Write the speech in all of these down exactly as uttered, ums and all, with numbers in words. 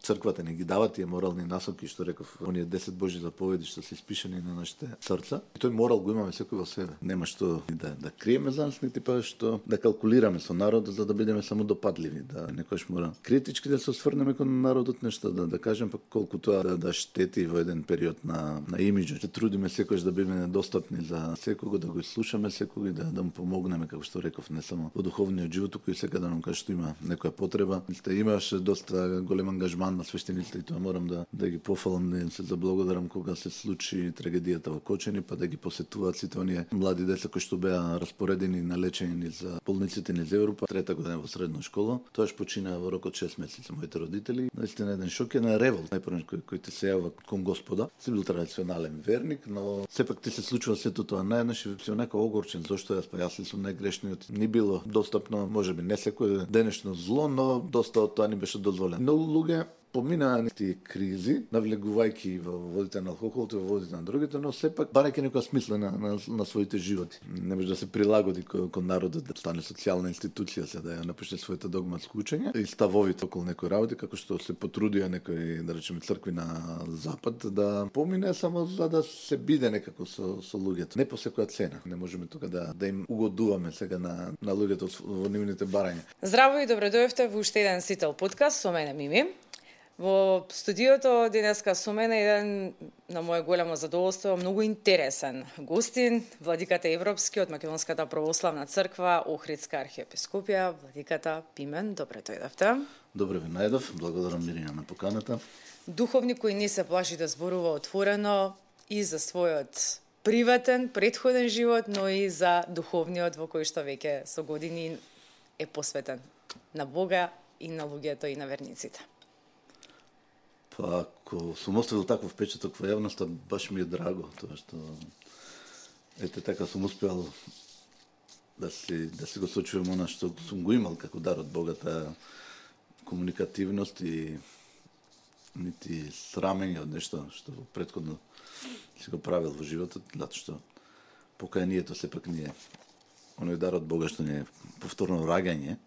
црквата не ги дава тие морални насоки, што реков, оние десет Божји заповеди што се испишани на нашите срца. И тој морал го имаме секој во себе. Нема што да да криеме за нас, нити па што да калкулираме со народот за да бидеме само допадливи, да некојаш мора критички да се осврнеме кон народот, нешто да да кажем па колку тоа да, да штети во еден период на на имиџот. Се трудиме секојаш да бидеме достапни за секого, да го слушаме секој, да да му помогнеме, како што реков, не само во духовниот живот, туку и сега да нам каже што има некоја потреба. Сте имаше доста голем ангажман на свештениците и тоа морам да да ги пофалам, да им се заблагодарам кога се случи трагедијата во Кочани, па да ги посетуваат сите оние млади деца кои што беа распоредени на лечење за болниците низ Европа, трета година во средна школа. Тоаш почина во рок од шест месеци моите родители. Наистина еден шок, е на револт, најпрвен кој кој ти се јава кон Господа. Си бил традиционален верник, но сепак ти се случува сето тоа наеднаш и си онака огорчен зошто јас, па јас ли сум најгрешниот. Ни било достапно, можеби не секој денешно зло, но доста од тоа ни беше дозволено. Но луѓе поминаа тие кризи, навлегувајќи во водите на алкохол, во водите на другите, но сепак барајќи некоја смисла на, на, на своите животи. Не може да се прилагоди кон, кон народот, да стане социјална институција, се да ја напише своето догматско учење и ставовите околу некои работи, како што се потрудија некои, да речеме, цркви на запад, да помине само за да се биде некако со, со луѓето. Не по секоја цена. Не можеме тука да, да им угодуваме сега на, на луѓето во нивните барања. Здраво и добредојавте во уште еден Сител подкаст со мене Мими. Во студиото денеска со мене еден на моје големо задоволство, многу интересен гостин, владиката Европски од Македонската православна црква, Охридска архиепископија, владиката Пимен. Добре дојдовте. Добре ви најдов, благодарам Мирина на поканата. Духовник кој не се плаши да зборува отворено и за својот приватен, претходен живот, но и за духовниот во кој што веќе со години е посветен на Бога и на луѓето и на верниците. Па, ако сум оставил таков впечаток во јавноста, баш ми е драго, тоа што ете така сум успеал да си да си го сочувам она што сум го имал како дар од Бога, таа комуникативност и нити срамење од нешто што претходно си го правил во животот, затоа што покајанието сепак не е оној дар од Бога што не е повторно раѓање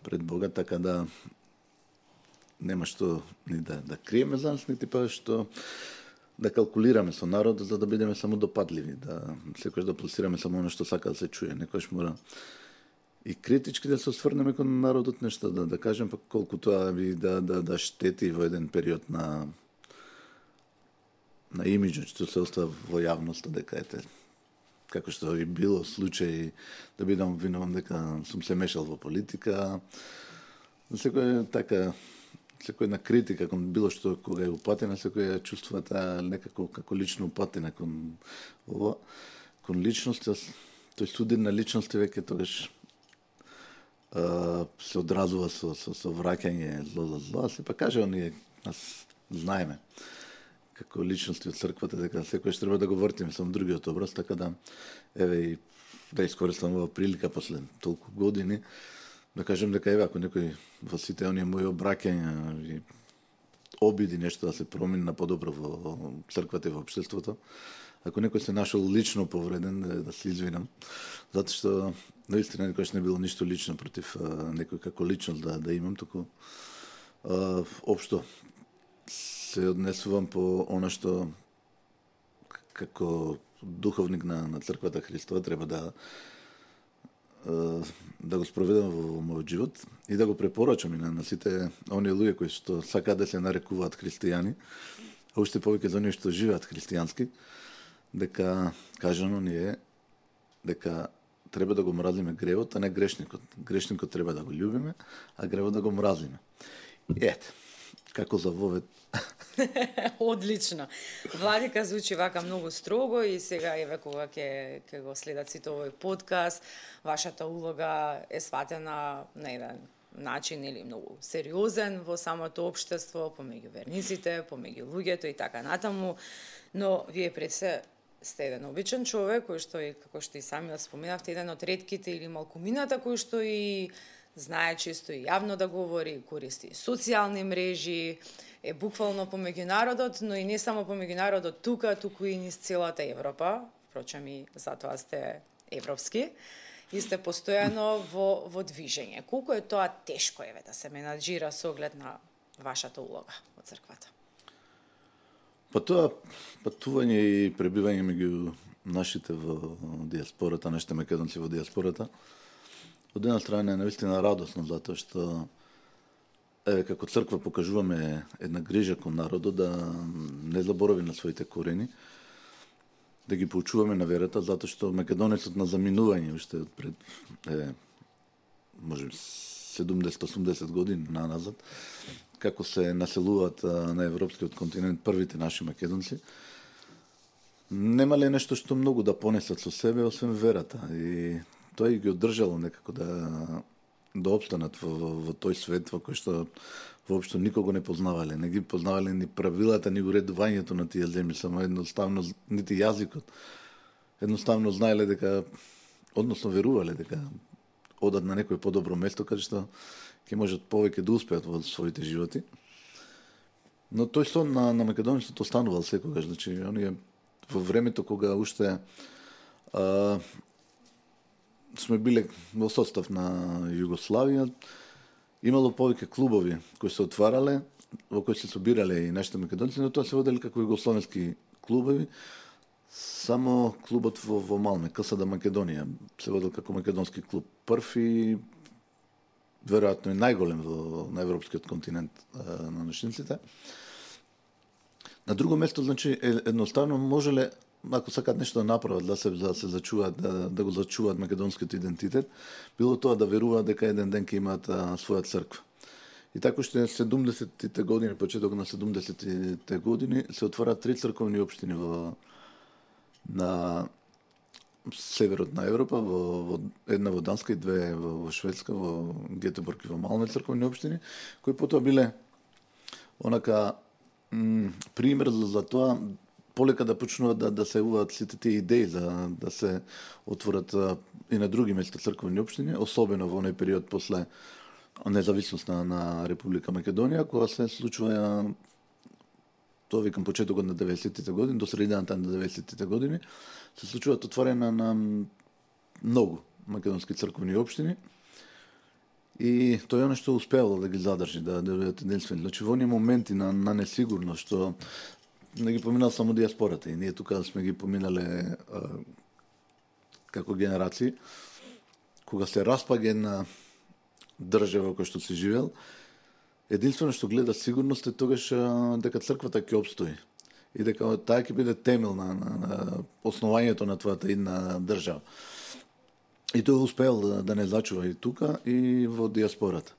пред Бога, така да нема што ни да, да криеме за нас, нити па што да калкулираме со народот за да бидеме само допадливи, да секојаш да пласираме само она што сака да се чуе. Некојаш мора и критички да се осврнеме кон народот, нешто да да кажем па колку тоа би да да да штети во еден период на на имиџот што се остава во јавноста, дека ете како што и било случај да бидам винован дека сум се мешал во политика. Секој така секој на критика кон било што кога е упатена, секој ја чувствува таа некако како лично упатена кон ова, кон личност, тој студен на личности веќе тогаш а, се одразува со, со, со враќање зло за зло, а се па каже оние, нас знаеме, како личности од црквата, дека секојаш треба да го вртиме со другиот образ, така да, еве и да искористам ова прилика после толку години, да кажем дека еве ако некој во сите оние мои обраќања и обиди нешто да се промени на подобро во црквата и во општеството, ако некој се нашол лично повреден, да, да се извинам, затоа што наистина никогаш не било ништо лично против а, некој како личност да да имам, туку а, општо се однесувам по она што како духовник на на црквата Христова треба да да го спроведам во мојот живот и да го препорачам и на, на сите оние луѓе кои што сакаат да се нарекуваат христијани, а уште повеќе за оние што живеат христијански, дека кажано ни е дека треба да го мразиме гревот, а не грешникот. Грешникот треба да го љубиме, а гревот да го мразиме. Ете, како за вовет. Одлично. Владика звучи вака многу строго и сега еве кога ќе ќе го следат сите овој подкаст, вашата улога е сватена на еден начин или многу сериозен во самото општество, помеѓу верниците, помеѓу луѓето и така натаму, но вие пред се сте еден обичен човек кој што и како што и сами да споменавте, еден од ретките или малкумината кој што и знае често и јавно да говори, користи социјални мрежи, е буквално помеѓу народот, но и не само помеѓу народот тука, туку и низ целата Европа, впрочем и затоа сте европски, и сте постојано во, во движење. Колку е тоа тешко еве да се менаџира со оглед на вашата улога во црквата? Па тоа патување и пребивање меѓу нашите во диаспората, нашите македонци во диаспората, од една страна е навистина радосно, затоа што еве како црква покажуваме една грижа кон народот да не заборави на своите корени, да ги поучуваме на верата, затоа што македонецот на заминување уште од пред е, може седумдесет-осумдесет години наназад, како се населуваат на европскиот континент првите наши македонци, немале нешто што многу да понесат со себе, освен верата. И тоа и ги одржало некако да да опстанат во, во, во тој свет во кој што воопшто никого не познавале, не ги познавале ни правилата, ни уредувањето на тие земји, само едноставно нити јазикот. Едноставно знаеле дека, односно верувале дека одат на некој подобро место каде што ќе можат повеќе да успеат во своите животи. Но тој сон на, на македонецот останувал секогаш, значи оние во времето кога уште а, сме биле во состав на Југославија, имало повеќе клубови кои се отварале, во кои се собирале и нашите македонци, но тоа се водели како југословенски клубови. Само клубот во, во Малме, КСД Македонија, се водел како македонски клуб. Прв и веројатно и најголем во на европскиот континент а, на нашинците. На друго место, значи, едноставно можеле, ако сакаат нешто да направат, да се, да се зачуваат, да, да го зачуваат македонскиот идентитет, било тоа да веруваат дека еден ден ќе имаат а, своја црква. И така уште седумдесетите години, почеток на седумдесетите години, се отвораат три црковни општини во на северот на Европа, во, во една во Данска и две во, во Шведска, во Гетеборг и во Малме црковни општини, кои потоа биле онака м, пример за, за тоа полека да почнуваат да, да се уваат сите тие идеи за да се отворат а, и на други места црковни општини, особено во оној период после независност на, на Република Македонија, кога се случува, тоа викам почетокот на деветдесетите години, до средината на деветдесетите години, се случуваат отворање на многу македонски црковни општини. И тоа е оно што успеало да ги задржи, да да бидат единствени. Значи во оние моменти на, на несигурност што не ги поминал само диаспората, и ние тука сме ги поминале а, како генерации, кога се распаѓа една држава која што се живеел, единствено што гледа сигурност е тогаш а, дека црквата ќе обстои и дека таа ќе биде темел на, на, на основањето на твојата една држава. И тој успеал да, да не зачува и тука и во диаспората.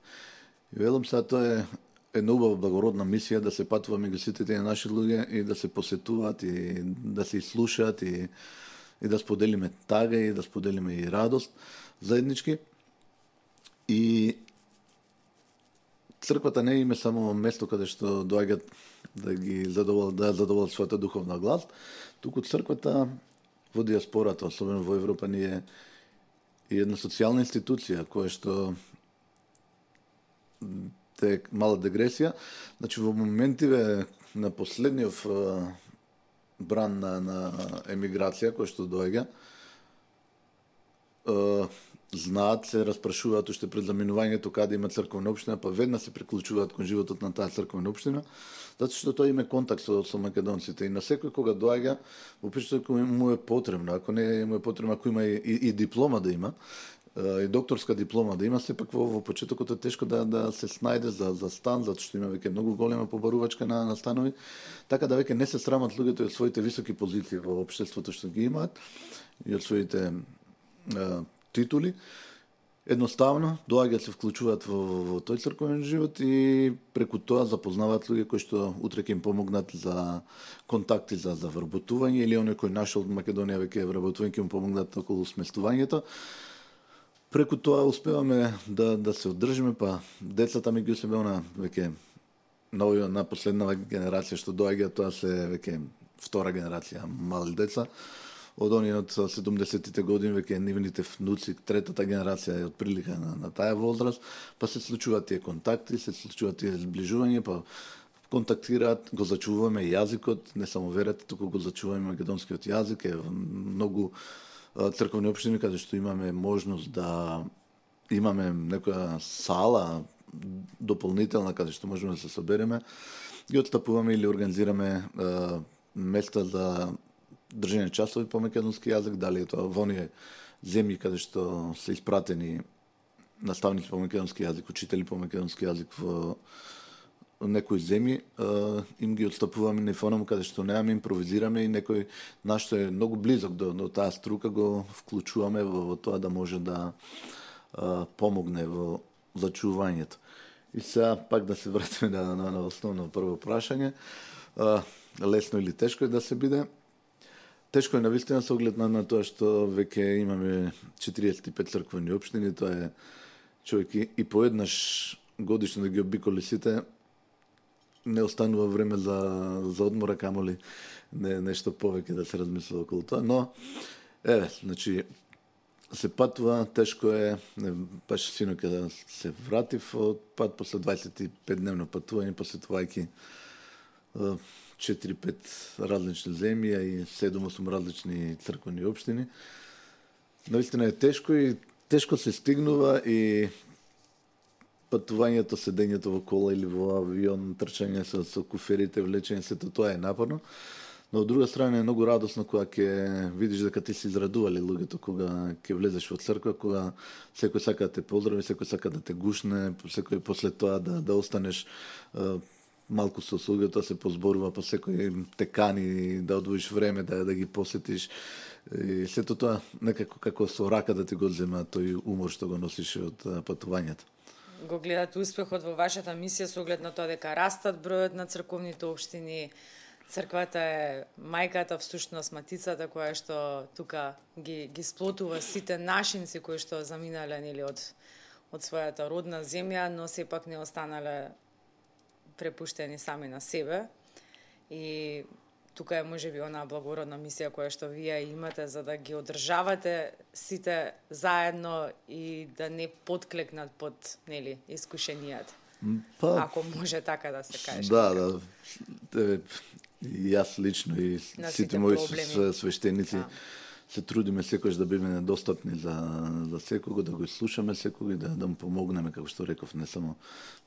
И велам сега тоа е една убава благородна мисија да се патува меѓу сите тие наши луѓе и да се посетуваат и да се слушаат и, и да споделиме тага и да споделиме и радост заеднички. И црквата не име само место каде што доаѓаат да ги задоволат, да задоволат својата духовна глас, туку црквата во диаспората, особено во Европа, ни е и една социјална институција која што те мала дегресија, значи во моментиве на последниот бран на, на емиграција кој што доаѓа, знаат, се распрашуваат уште пред заминувањето каде има црковна општина, па веднаш се приклучуваат кон животот на таа црковна општина, затоа што тоа има контакт со, со македонците и на секој кога доаѓа, во причина кој му е потребно, ако не му е потребно, ако има и, и, и диплома да има, и докторска диплома да има, сепак во, во почетокот е тешко да да се снајде за за стан, затоа што има веќе многу голема побарувачка на, на станови, така да веќе не се срамат луѓето од своите високи позиции во општеството што ги имаат и од своите а, титули. Едноставно доаѓаат се вклучуваат во, во, во тој црковен живот и преку тоа запознаваат луѓе кои што утре ќе им помогнат за контакти за за вработување или оној кој нашол од Македонија веќе е вработување ќе му помогнат околу сместувањето. Преку тоа успеваме да да се одржиме, па децата меѓу себе она веќе на на последнава генерација што доаѓа, тоа се веќе втора генерација мали деца. Од оние од седумдесетите години веќе нивните внуци, третата генерација е отприлика на, на таа возраст, па се случуваат тие контакти, се случуваат тие зближување, па контактираат, го зачуваме јазикот, не само верата, туку го зачуваме македонскиот јазик, е многу црковни општини каде што имаме можност да имаме некоја сала дополнителна, каде што можеме да се собереме, ги отстапуваме или организираме а, места за држење часови по македонски јазик, дали е тоа во оние земји каде што се испратени наставници по македонски јазик, учители по македонски јазик во некои земји, им ги отстапуваме на фонам каде што немаме, импровизираме и некој наш што е многу близок до, до таа струка го вклучуваме во, во тоа да може да а, помогне во зачувањето. И сега пак да се вратиме на, на, на основно прво прашање. А, лесно или тешко е да се биде? Тешко е навистина со оглед на, на тоа што веќе имаме четириесет и пет црквени општини, тоа е човек и, и поеднаш годишно да ги обиколи сите, не останува време за, за одмора, камоли не, нешто повеќе да се размислува околу тоа, но еве, значи се патува, тешко е, не, баш синоќа да се вратив од пат после дваесет и пет дневно патување, посетувајќи четири-пет различни земји и седум-осум различни црквени општини. Наистина е тешко и тешко се стигнува и патувањето, седењето во кола или во авион, трчање со, со куферите, влечење, сето тоа е напорно. Но од друга страна е многу радосно кога ќе видиш дека ти се израдували луѓето кога ќе влезеш во црква, кога секој сака да те поздрави, секој сака да те гушне, секој после тоа да да останеш е, малку со луѓето, се позборува, па секој те кани да одвоиш време да да ги посетиш. И сето тоа некако како со рака да ти го зема тој умор што го носиш од патувањето. Го гледате успехот во вашата мисија со оглед на тоа дека растат бројот на црковните општини. Црквата е мајката, всушност матицата која што тука ги ги сплотува сите нашинци кои што заминале нели од од својата родна земја, но сепак не останале препуштени сами на себе. И тука е можеби онаа благородна мисија која што вие имате за да ги одржавате сите заедно и да не потклекнат под нели искушенијата. Па, ако може така да се каже. Да, да. Те, и јас лично и сите, сите мои свештеници да. Се трудиме секојаш да биме достапни за за секого, да го слушаме секого и да да му помогнеме, како што реков, не само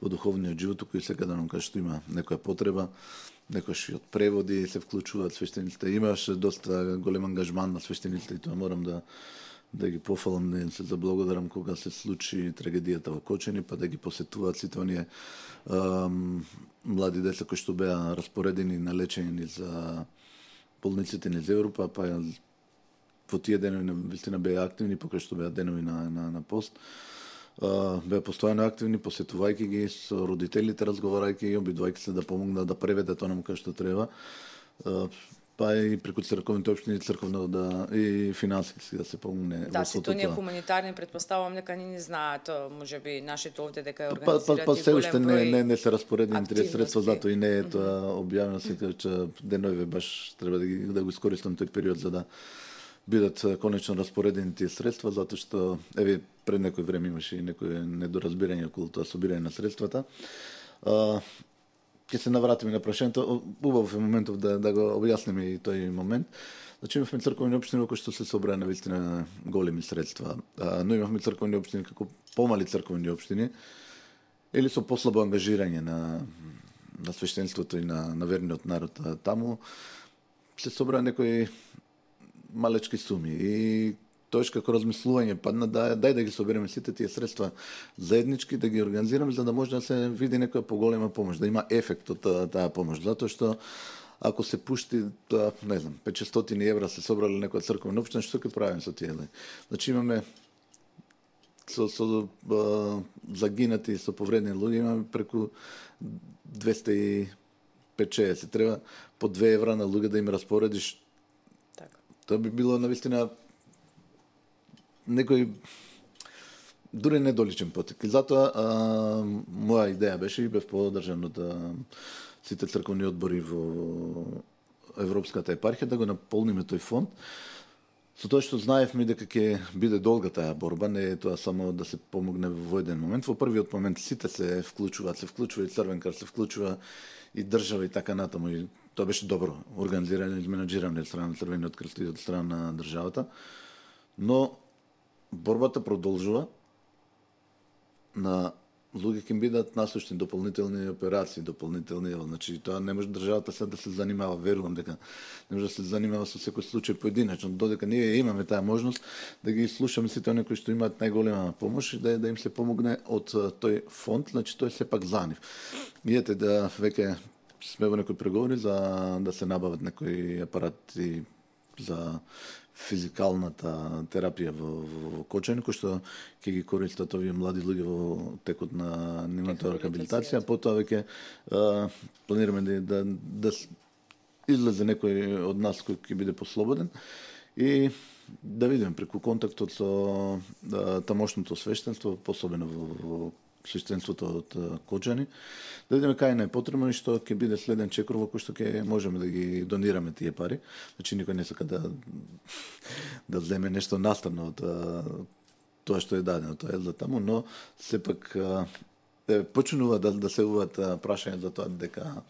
во духовниот живот, туку и секаде кога што има некоја потреба, некојаш и од преводи се вклучуваат свештениците. Имаше доста голем ангажман на свештениците и тоа морам да да ги пофалам, да им се заблагодарам кога се случи трагедијата во Кочани, па да ги посетуваат сите оние ам, млади деца кои што беа распоредени на лечење за болниците низ Европа, па во тие денови вистина беа активни, покрај што беа денови на, на, на пост. Uh, беа постојано активни, посетувајќи ги со родителите, разговарајќи и обидувајќи се да помогнат да преведат онаму кај што треба. Uh, па и преку црковните општини, црковно да и финансиски да се помогне. Да, сите оние хуманитарни предпоставувам дека ни не знаат, можеби нашите овде дека е организират па, па, па, се уште не, не, не се распоредени тие средства, затоа и не е тоа објавено, се че денови баш треба да, ги, да го искористам тој период за да бидат конечно распоредени тие средства, затоа што еве пред некој време имаше и некој недоразбирање околу тоа собирање на средствата. А, ќе се навратиме на прашањето. Убав е моментов да да го објасниме и тој момент. Значи имавме црковни општини кои што се собраа на вистина големи средства, а, но имавме црковни општини како помали црковни општини или со послабо ангажирање на на свештенството и на на верниот народ таму се собраа некои малечки суми и тоеш како размислување падна да дај да ги собереме сите тие средства заеднички, да ги организираме за да може да се види некоја поголема помош, да има ефект од таа, таа помош, затоа што ако се пушти тоа, не знам, петстотини евра се собрале некоја црковна општина, што ќе правиме со тие? Значи имаме со со а, загинати, со повредени луѓе имаме преку двесте и петдесет. Треба по две евра на луѓе да им распоредиш. Тоа би било навистина некој дури недоличен потек. И затоа а, моја идеја беше и бев подржан од сите црковни одбори во Европската епархија да го наполниме тој фонд. Со тоа што знаевме дека ќе биде долга таа борба, не е тоа само да се помогне во еден момент. Во првиот момент сите се вклучуваат, се вклучува и Црвен крст, се вклучува и држава и така натаму. И тоа беше добро организирано и менаџирано од страна на Црвениот крст и од страна на државата. Но борбата продолжува на луѓе ќе бидат насочни дополнителни операции, дополнителни, значи тоа не може државата сега да се занимава, верувам дека не може да се занимава со секој случај поединечно, додека ние имаме таа можност да ги слушаме сите оние кои што имаат најголема помош и да, да им се помогне од тој фонд, значи тој сепак за нив. И ете да веќе сме во некои преговори за да се набават некои апарати за физикалната терапија во, во, во Кочани, кој што ќе ги користат овие млади луѓе во текот на нивната рехабилитација, потоа веќе планираме да, да, да излезе некој од нас кој ќе биде послободен и да видиме преку контактот со да, тамошното свештенство, посебено во, во свештенството од Кочани, да видиме кај не е потребно и што ќе биде следен чекор во кој што ќе можеме да ги донираме тие пари. Значи никој не сака да да земе нешто наставно од тоа што е дадено, тоа е за таму, но сепак е почнува да да се уват прашања за тоа дека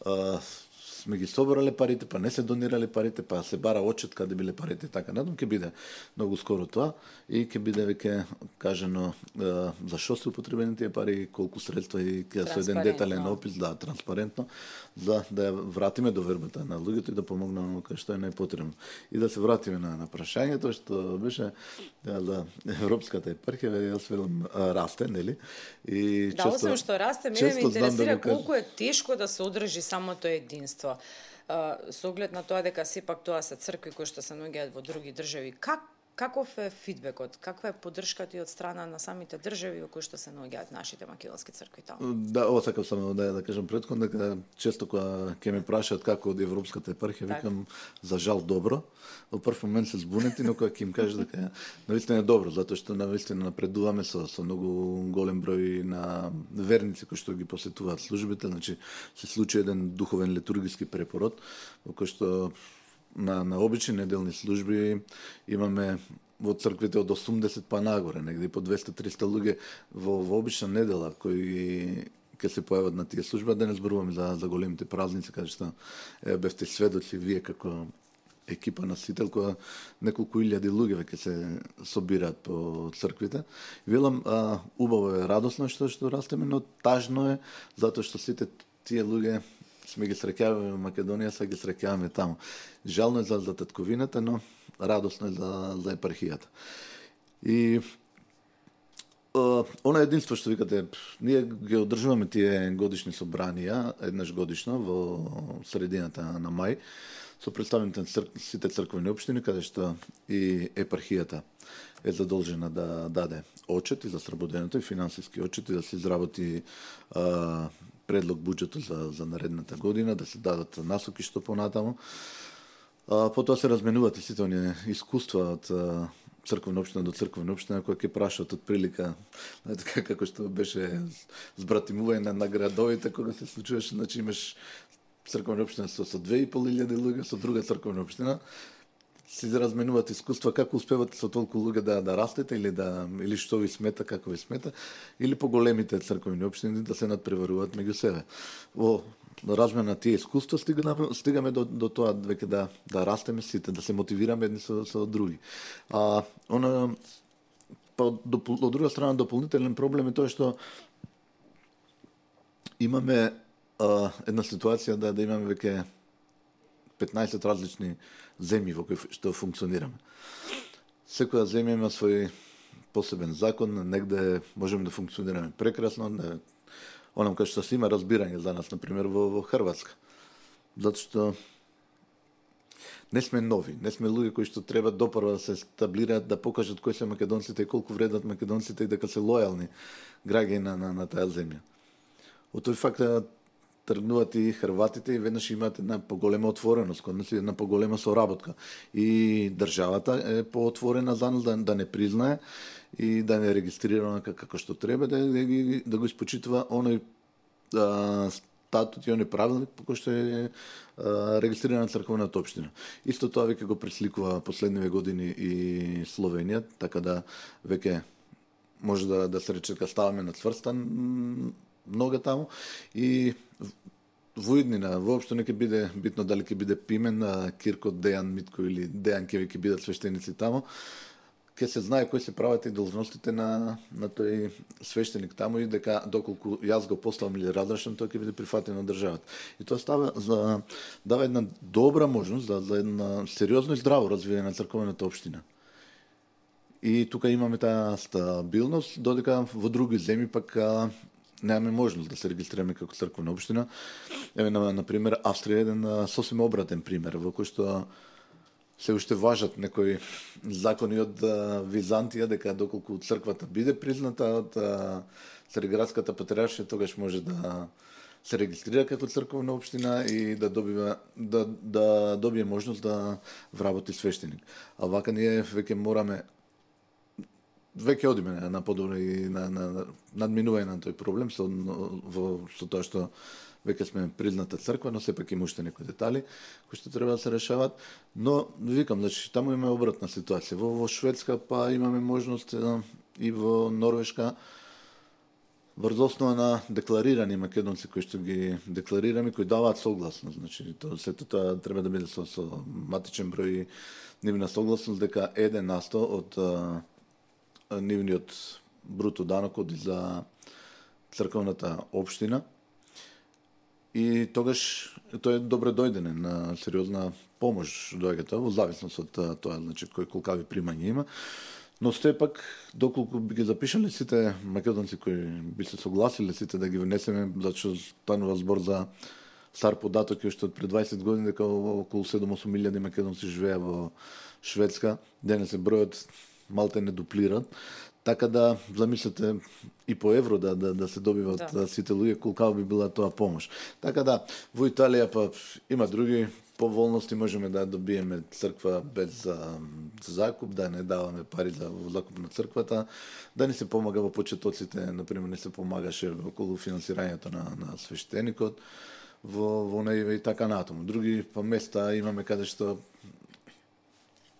а, сме ги собрале парите, па не се донирале парите, па се бара отчет каде биле парите, така надам ќе биде многу скоро тоа и ќе биде веќе кажано е, за што се употребени тие пари, колку средства и ќе со еден детален опис, да, транспарентно, за да ја вратиме довербата на луѓето и да помогнеме кај што е најпотребно. И да се вратиме на, на прашањето што беше да, за Европската епархија, јас велам расте, нели? И да, често, освен што расте, мене ме интересира да колку е тешко да се одржи самото единство. Со оглед на тоа дека сепак тоа се цркви кои што се наоѓаат во други држави. Как каков е фидбекот? Каква е поддршката и од страна на самите држави во кои што се наоѓаат нашите македонски цркви таму? Да, ова сакам само да да кажам претходно дека често кога ќе ме прашаат како од Европската епархија, так. Викам за жал добро. Во прв момент се збунети, но кога ќе им кажеш дека навистина е добро, затоа што навистина напредуваме со со многу голем број на верници кои што ги посетуваат службите, значи се случи еден духовен литургиски препород во кој што на на обични неделни служби имаме во црквите од осумдесет па нагоре, негде по двесте до триста луѓе во, во обична недела кои ќе се појават на тие служби, да не зборуваме за за големите празници каде што е, бевте сведоци вие како екипа на Сител, која неколку илјади луѓе веќе се собираат по црквите. Велам, а, убаво е, радосно што што растеме, но тажно е затоа што сите тие луѓе сме ги среќаваме во Македонија, сега ги среќаваме таму. Жално е за, за татковината, но радосно е за, за епархијата. И uh, она единство што викате, ние ги одржуваме тие годишни собранија, еднаш годишно, во средината на мај, со представените црк, сите црквени општини, каде што и епархијата е задолжена да даде отчет и за сработеното и финансиски отчет и да се изработи uh, предлог буџетот за, за наредната година, да се дадат насоки што понатаму. А, потоа се разменуваат и сите оние искуства од црквена општина до црквена општина, која ќе прашаат од прилика, така како што беше збратимување на, на градовите, кога се случуваше, значи имаш црквена општина со, со две и пол илјади луѓе, со друга црквена општина, си разменуваат искуства како успевате со толку луѓе да да растете или да или што ви смета, како ви смета, или по големите црковни општини да се надпреваруваат меѓу себе. Во размена на тие искуства стигаме стигаме до до тоа веќе да да растеме сите, да се мотивираме едни со со други. А она па од друга страна дополнителен проблем е тоа што имаме а, една ситуација да да имаме веќе петнаесет различни земји во кои што функционираме. Секоја земја има свој посебен закон, негде можеме да функционираме прекрасно, не, онам кај што се има разбирање за нас, например, во, во Хрватска. Затоа што не сме нови, не сме луѓе кои што треба допрва да се стаблираат, да покажат кои се македонците и колку вредат македонците и дека се лојални граѓани на, на, на таа земја. Од тој факт тргнуваат и хрватите и веднаш имаат една поголема отвореност, кон нас една поголема соработка. И државата е поотворена за нас да, да не признае и да не регистрира како што треба, да, да, да го испочитува оној а, статут и оној правилник по кој што е а, регистрирана црковната општина. Исто тоа веќе го пресликува последниве години и Словенија, така да веќе може да, да се рече дека ставаме на цврста нога таму и во иднина воопшто не ќе биде битно дали ќе биде Пимен, Кирко, Дејан Митко или Дејан ќе ќе бидат свештеници таму. ќе се знае кои се правата и должностите на на тој свештеник таму и дека доколку јас го поставам или разрешам, тој ќе биде прифатен од државата. И тоа става за дава една добра можност за, за една сериозно и здраво развивање на црковната општина. И тука имаме таа стабилност, додека во други земји пак а, немаме можност да се регистрираме како црковна општина. Еве на на пример Австрија е еден а, сосем обратен пример во кој што се уште важат некои закони од а, Византија дека доколку црквата биде призната од а, Цариградската патриаршија, тогаш може да се регистрира како црковна општина и да добива да да добие можност да вработи свештеник. А вака ние веќе мораме веќе одиме на подобро и на, на надминување на тој проблем со во со тоа што веќе сме призната црква, но сепак има уште некои детали кои што треба да се решават. Но викам, значи таму имаме обратна ситуација. Во, во Шведска па имаме можност и во Норвешка врз основа на декларирани македонци кои што ги декларираме, кои даваат согласност. Значи тоа сето тоа треба да биде со, со матичен број и нивна согласност дека еден на сто од а, нивниот бруто данок оди за црковната општина. И тогаш тоа е добре дојдене на сериозна помош доаѓа тоа во зависност од тоа, значи кој колкави примања има. Но сепак доколку би ги запишале сите македонци кои би се согласиле сите да ги внесеме, зашто станува збор за стар податок уште од пред дваесет години дека околу седум-осум илјади македонци живеа во Шведска, денес се бројот малте не дуплират. Така да замислете и по евро да да, да се добиват да. Сите луѓе колку би била тоа помош. Така да во Италија па има други поволности, можеме да добиеме црква без за, за закуп, да не даваме пари за закуп на црквата, да ни се помага во почетоците, например не се помагаше околу финансирањето на на свештеникот во во неиве и така натаму. Други па места имаме каде што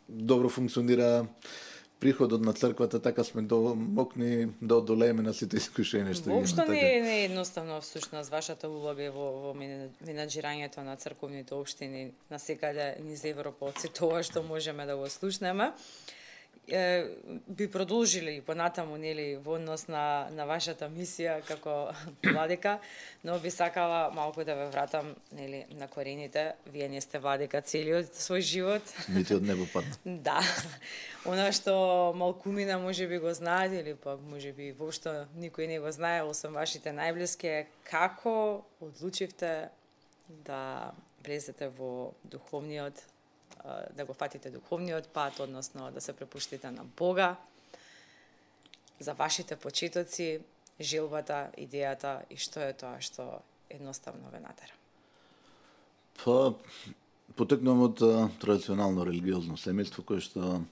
добро функционира приходот на црквата, така сме до мокни да одолееме на сите искушенија што имаме. Воопшто не е, не е едноставно всушност вашата улога е во, во менаџирањето на црковните општини на секаде низ Европа од се тоа што можеме да го слушнеме. Е, би продолжили понатаму нели во однос на на вашата мисија како владика, но би сакала малку да ве вратам нели на корените. Вие не сте владика целиот свој живот. Нити од небо пат. Да. Она што малкумина можеби го знаат или пак можеби воопшто никој не го знае освен вашите најблиски, како одлучивте да влезете во духовниот, да го фатите духовниот пат, односно да се препуштите на Бога, за вашите почетоци, желбата, идејата и што е тоа што едноставно ве натера? Па, потекнувам од традиционално религиозно семејство кое што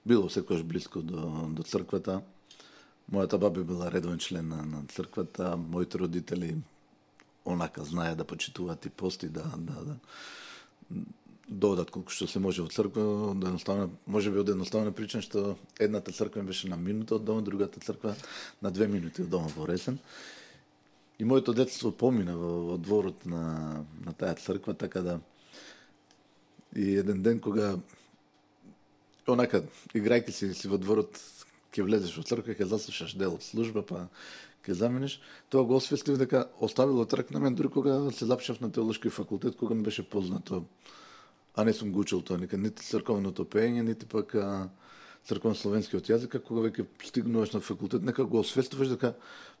било секојаш блиско до, до црквата. Мојата баба била редовен член на, на црквата, моите родители онака знае да почитуваат и пости, да, да, да додат колку што се може во црква, да едноставно, можеби од едноставна причина што едната црква беше на минута од дома, другата црква на две минути од дома во Ресен. И моето детство помина во, во дворот на, на таа црква, така да и еден ден кога онака играјќи си, си во дворот, ќе влезеш во црква, ќе заслушаш дел од служба, па ќе замениш, тоа го освестив дека оставило трак на мен дури кога се запишав на теолошки факултет, кога ми беше познато, а не сум го учил тоа никад, нити црковното пеење, нити пак црковно словенскиот јазик, кога веќе стигнуваш на факултет, нека го освестуваш дека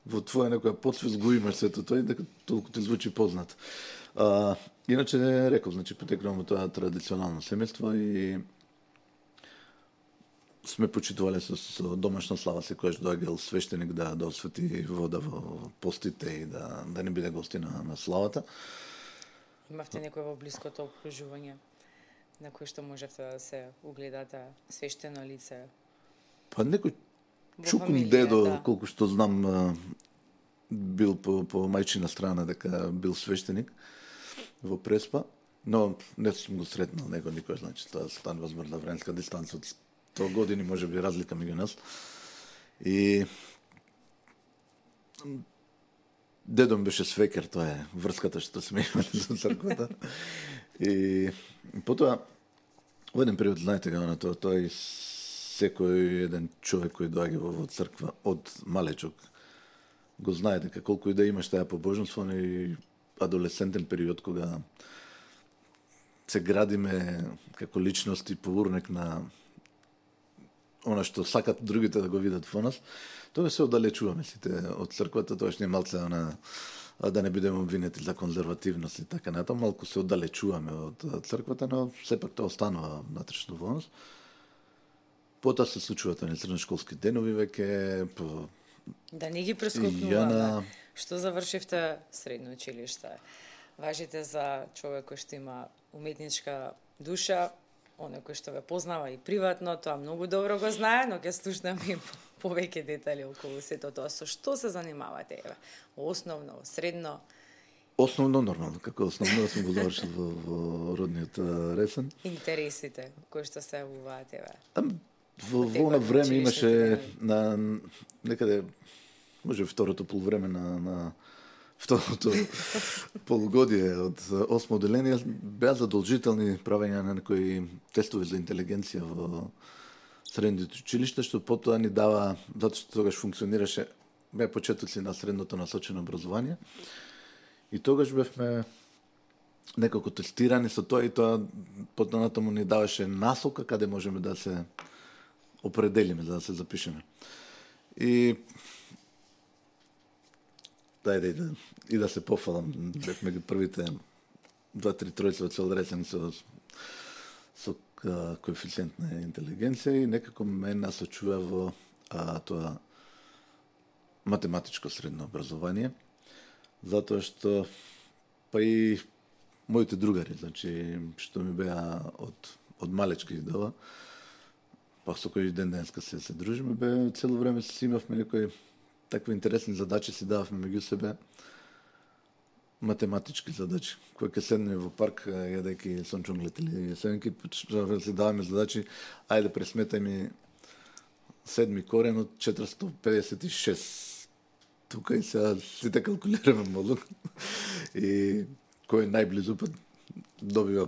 во твоја некоја подсвест го имаш сето тоа и дека толку ти звучи познат. А, иначе не реков, значи потекнувам тоа традиционално семејство и сме почитувале со, со домашна слава, секојаш доаѓал свештеник да да освети вода во постите и да да не биде гости на, на славата. Имавте некој во блиското окружување на кој што можете да се угледате свештено лице? Па некој чукун дедо, да. Колку што знам, бил по, по мајчина страна дека бил свештеник во Преспа, но не сум го сретнал него никој, значи тоа станува збор на временска дистанца од сто години, може би разлика меѓу нас. И дедо ми беше свекер, тоа е врската што сме имали со црквата. И потоа, во еден период, знаете га, тоа, тоа и секој еден човек кој доаѓа во црква од малечок го знае дека колку и да имаш таа побожност, и адолесцентен период кога се градиме како личности по урнек на она што сакат другите да го видат во нас, тоа се оддалечуваме сите од црквата, тоа што не малце она да не бидеме обвинети за конзервативност и така натаму, малку се оддалечуваме од црквата, но сепак тоа останува внатрешно во нас. Потоа се случуваат оние средношколски денови веќе по да не ги прескокнуваме. Јана... Што завршивте средно училиште? Важите за човек кој што има уметничка душа, оној кој што ве познава и приватно, тоа многу добро го знае, но ќе слушнеме и повеќе детали околу сето тоа. Со што се занимавате? Еве, основно, средно? Основно, нормално, како основно сум го завршил во, во родниот Ресен. Интересите кои што се јавуваат, еве? Там во во време имаше на некаде може второто полувреме на на второто полугодие од осмо одделение беа задолжителни правење на некои тестови за интелигенција во средните училишта, што потоа ни дава, затоа што тогаш функционираше, беа почетоци на средното насочено образование. И тогаш бевме некако тестирани со тоа и тоа потоа натаму ни даваше насока каде можеме да се определиме за да се запишеме. И дајде да, и да се пофалам, бевме ги првите два-три тројца од цел Ресен со, со а, коефициент на интелигенција и некако ме насочува во а, тоа математичко средно образование, затоа што па и моите другари, значи што ми беа од од малечки идова, па со кој ден денеска се се дружиме, бе цело време си имавме некои такви интересни задачи, си дававме меѓу себе математички задачи. Кој ќе седне во парк јадејќи сончонглет или сенки, си даваме задачи, ајде пресметај ми седми корен од четиристотини педесет и шест. Тука и сега сите калкулираме мозок. И кој е најблизу па добива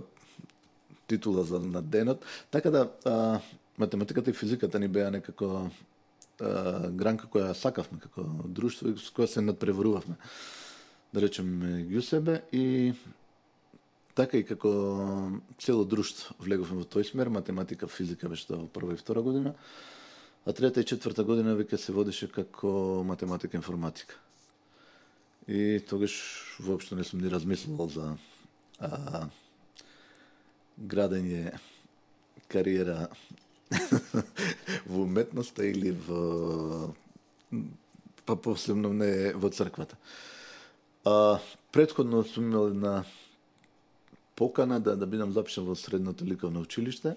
титула за на денот. Така да а, математиката и физиката ни беа некако а, гранка која сакавме како друштво и с која се надпреварувавме. Да речеме меѓу себе и така и како цело друштво влеговме во тој смер, математика, физика беше тоа во прва и втора година, а трета и четврта година веќе се водеше како математика и информатика. И тогаш воопшто не сум ни размислувал за а, градење кариера во уметноста или во па посебно не во црквата. А, предходно сум имал една покана да, да бидам запишан во средното ликовно училиште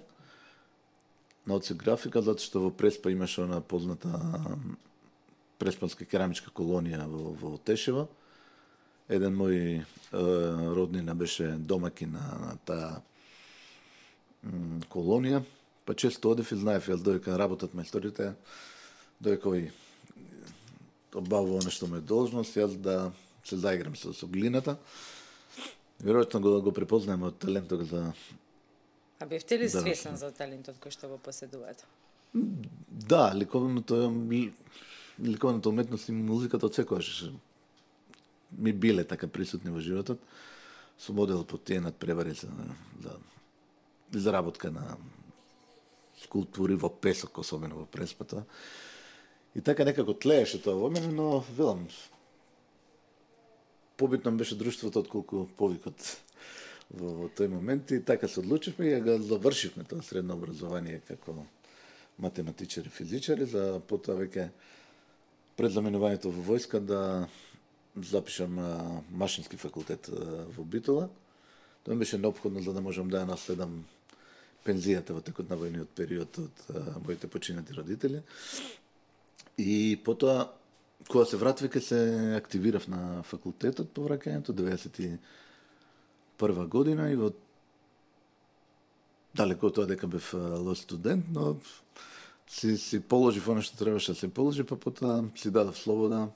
на одсек графика, затоа што во Преспа имаше она позната преспанска керамичка колонија во, во Тешево. Еден мој е, роднина беше домаќин на, на таа м, колонија, па често одев и знаев, јас доека работат мајсторите, доека овој обавува она што ме должност, јас да се заиграм со, со глината. Веројатно го, го препознаем од талентот за... А бевте ли свесен за талентот кој што го поседувате? Да, ликовното, ликовната уметност и музиката од секојаш ми биле така присутни во животот. Сум одел по тие надпревари за, за изработка на скулптури во песок, особено во Преспата. И така некако тлееше тоа во мене, но велам, побитно беше друштвото отколку повикот во, во тој момент и така се одлучивме и го завршивме тоа средно образование како математичари, физичари, за потоа веќе пред заменувањето во војска да запишам а, машински факултет а, во Битола. Тоа ми беше неопходно за да можам да ја наследам пензијата во текот на војниот период од а, моите починати родители. И потоа кога се вратив ке се активирав на факултетот по враќањето деветдесет и прва година и во далеко од тоа дека бев лош студент, но си си положив она што требаше да се положи, па потоа си дадов слобода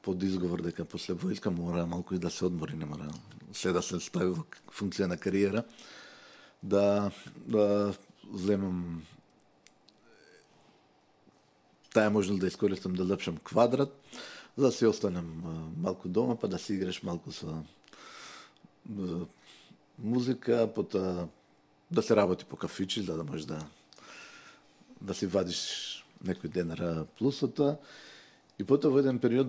под изговор дека после војска мора малку и да се одмори, не мора се да се стави во функција на кариера, да, да земам таа можел да искористам да запишам квадрат, за да си останем малку дома, па да си играш малку со музика, потоа да се работи по кафичи, за да можеш да да си вадиш некој денара плусота. И потоа во еден период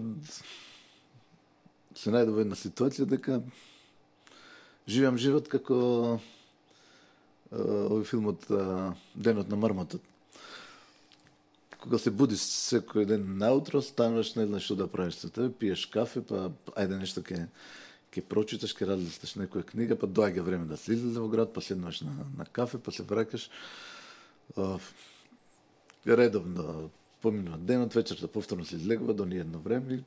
се најдов во една ситуација дека живеам живот како овој филмот Денот на мармотот. Кога се будиш секој ден наутро, стануваш, не знаеш што да правиш со тебе, пиеш кафе, па ајде нешто ке ќе прочиташ, ќе разлисташ некоја книга, па доаѓа време да се излезе во град, па седнуваш на, на кафе, па се враќаш. Редовно поминува денот, вечерта повторно се излегува до ниедно време и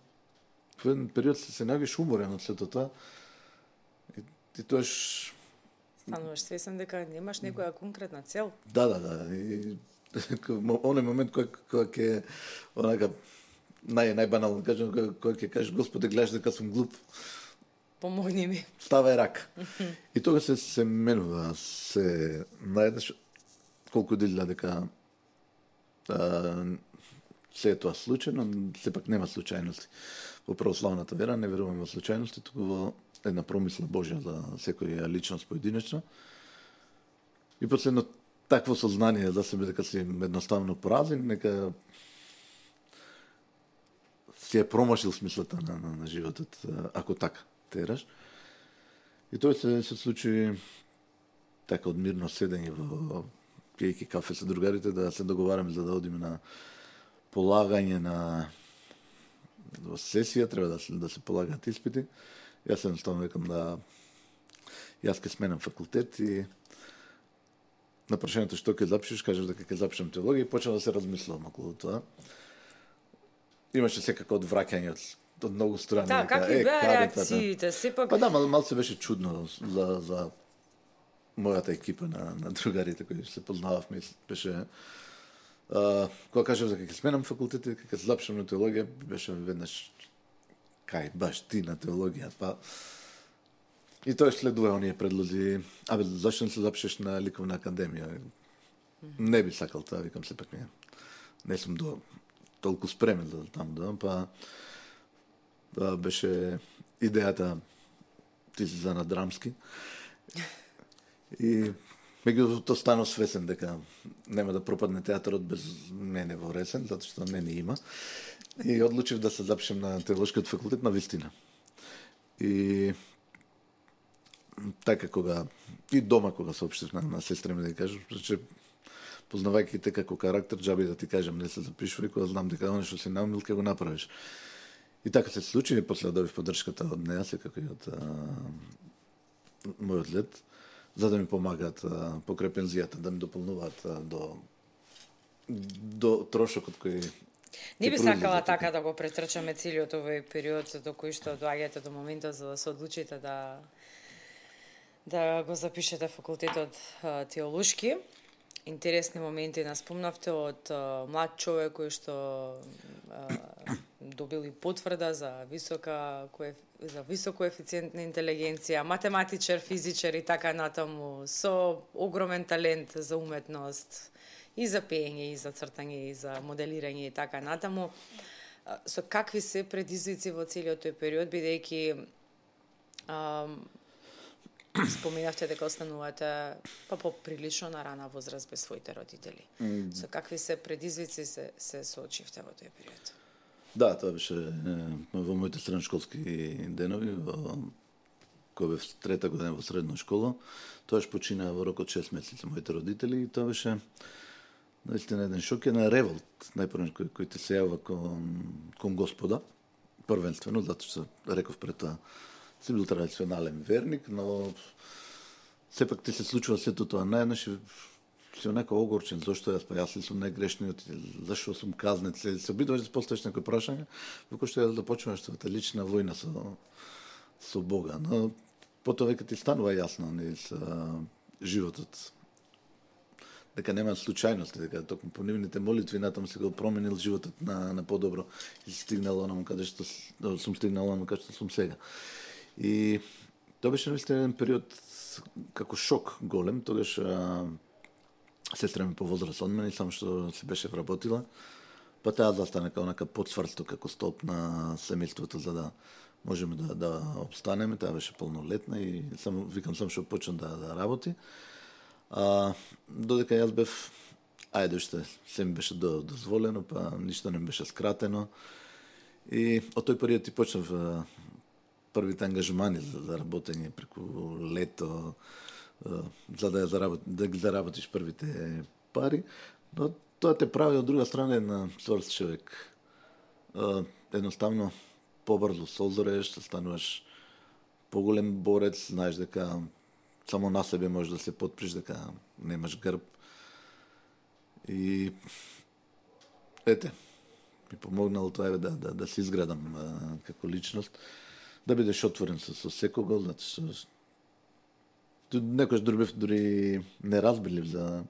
во еден период се, се најавиш уморен од сето тоа. И, и тоаш стануваш свесен дека немаш некоја конкретна цел. Да, да, да. И оној момент кој кој ќе онака нај најбанално кажам, кој ќе кажеш Господе, гледаш дека сум глуп. Помогни ми. Ставај рак. И тога се се менува, се најдеш колку дели дека а, се е тоа случајно, сепак нема случајности. Во православната вера не веруваме во случајности, туку во една промисла Божја за секоја личност поединечно. И после едно такво сознание за себе дека си едноставно поразен, нека си е промашил смислата на, на, на животот, ако така тераш. И тоа се, се случи така од мирно седење во пиејќи кафе со другарите, да се договараме за да одиме на полагање на во сесија, треба да се, да се полагаат испити. Јас едноставно викам да јас ќе сменам факултет и на прашањето што ќе запишеш, кажеш дека ќе запишам теологија и почнав да се размислувам околу тоа. Имаше секако одвраќање од, од многу страни. Да, какви беа реакциите? Сепак... Па да, мал, мал се беше чудно за, за мојата екипа на, на другарите кои се познававме. Беше, а, кога кажав дека ќе сменам факултет и дека ќе запишам на теологија, беше веднаш кај баш ти на теологија, па и тоа следува оние предлози. Абе, зашто не се запишеш на ликовна академија? Не би сакал тоа, викам сепак не. Не сум до толку спремен за таму да, па да, беше идејата ти си за на драмски. И меѓутоа станав свесен дека нема да пропадне театарот без мене во Ресен, затоа што не ни има. И одлучив да се запишем на теолошкиот факултет на вистина. И така кога и дома кога соопштив на, на сестра ми да кажам, че познавајќи те како карактер, џаби да ти кажам не се запишувај, кога знам дека оно што си наумил ќе го направиш. И така се случи, и после добив поддршката од неа, секако и од а, мојот лет, за да ми помагаат а, покрај пензијата, да ми дополнуваат а, до до трошокот кој не би сакала така да го претрчаме целиот овој период до кој што доаѓате до моментот за да се одлучите да да го запишете факултетот а, теолошки. Интересни моменти нас спомнавте од а, млад човек кој што а, добил и потврда за висока коеф... за висок коефициент на интелигенција, математичар, физичар и така натаму, со огромен талент за уметност, и за пеење, и за цртање, и за моделирање и така натаму. Со какви се предизвици во целиот тој период, бидејќи споменавте дека останувате па поприлично на рана возраст без своите родители. Mm. Со какви се предизвици се, се соочивте во тој период? Да, тоа беше е, во моите средношколски денови, во кога бев трета година во средна школа. Тоаш почина во рок од шест месеци моите родители и тоа беше наистина еден шок, еден револт, најпрвен кој, кој ти се јава кон, кон Господа, првенствено, затоа што реков пред тоа, си бил традиционален верник, но сепак ти се случува сето тоа наеднаш и си онака огорчен, зашто јас, па јас ли сум најгрешниот, зашто сум казнет, се, се обидуваш да поставиш некој прашање, во кој што ја да почнуваш твојата лична војна со, со Бога. Но потоа веќе ти станува јасно не, со животот, дека нема случајности, дека токму по нивните молитви натаму се го променил животот на, на подобро и стигнал онаму каде што сум стигнал онаму каде што сум сега. И тоа беше наистина еден период како шок голем, тогаш а, сестра ми по возраст од мене, само што се беше вработила, па таа застане како нека подсврсто како столб на семејството за да можеме да да обстанеме. Таа беше полнолетна и само викам сам што почна да да работи. А додека јас бев ајде што се ми беше дозволено, па ништо не беше скратено. И од тој период ти почнав првите ангажмани за, за работење преку лето, за да, заработ, да ги заработиш првите пари, но тоа те прави од друга страна една сврст човек. Едноставно побрзо созреш, стануваш поголем борец, знаеш дека само на себе можеш да се потприш, дека немаш грб. И ете, ми помогнало тоа да, да, да се изградам а, како личност, да бидеш отворен со, со секого, затоа што некојаш дури бев дури неразбирлив за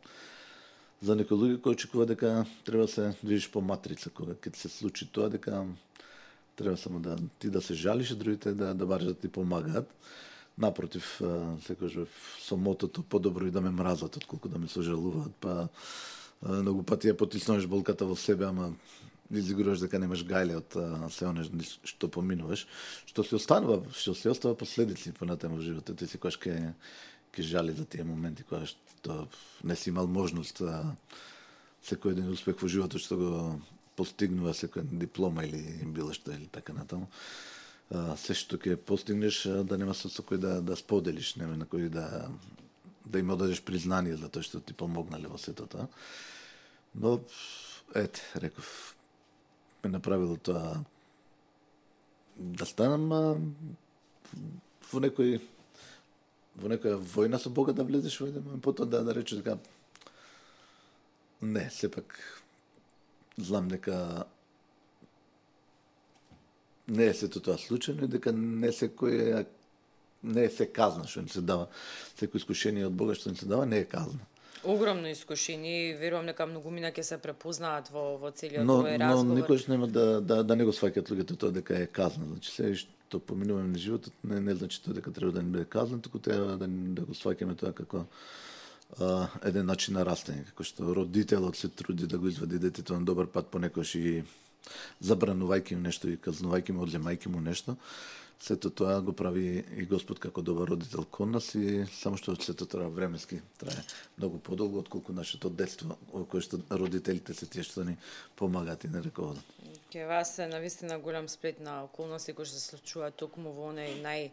за некои луѓе кои очекува дека треба да се движиш по матрица, кога ќе се случи тоа, дека треба само да ти да се жалиш, а другите да да бараш да ти помагаат. Напротив, секогаш со мотото подобро и да ме мразат отколку да ме сожалуваат, па многу пати ја потиснуваш болката во себе, ама изигуруваш дека немаш гајле од се оне што поминуваш, што се останува, што се остава последици понатаму во животот. Ти си којаш ке ке жали за тие моменти кога што не си имал можност да секој еден успех во животот што го постигнува, секоја диплома или било што или така натаму. Се што ќе постигнеш да нема со кој да да споделиш, нема на кој да да им одадеш признание за тоа што ти помогнале во сето тоа. Но ете, реков, ме направило тоа да станам а, во некој во некоја војна со Бога да влезеш во еден момент, потоа да да речеш дека не, сепак знам дека не е сето тоа случајно и дека не секој е не е се казна што ни се дава. Секој искушение од Бога што ни се дава не е казна. Огромно искушение и верувам дека многумина ќе се препознаат во во целиот но, овој разговор. Но никош нема да да да не го сваќаат луѓето тоа дека е казна. Значи се што поминуваме на животот не не значи тоа дека треба да ни биде казна, туку треба да да го сваќаме тоа како а, еден начин на растење, како што родителот се труди да го извади детето на добар пат, понекогаш и забранувајќи му нешто и казнувајќи му, одземајќи му нешто. Сето тоа го прави и Господ како добар родител кон нас и само што сето тоа временски трае многу подолго отколку нашето детство, во кое што родителите се тие што ни помагаат и не раководат. Ке вас е навистина голем сплет на околности кои се случуваат токму во оној нај,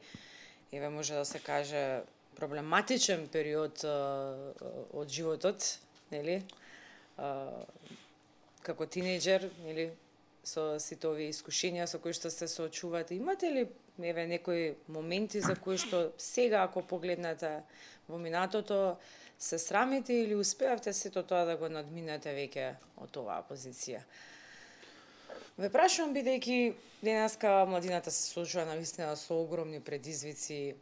еве може да се каже, проблематичен период а, од животот, нели? А, како тинејџер, нели? Со сите овие искушенија со кои што се соочувате, имате ли еве некои моменти за кои што сега ако погледнете во минатото се срамите или успеавте сето тоа да го надминете веќе од оваа позиција? Ве прашувам бидејќи денеска младината се соочува навистина со огромни предизвици,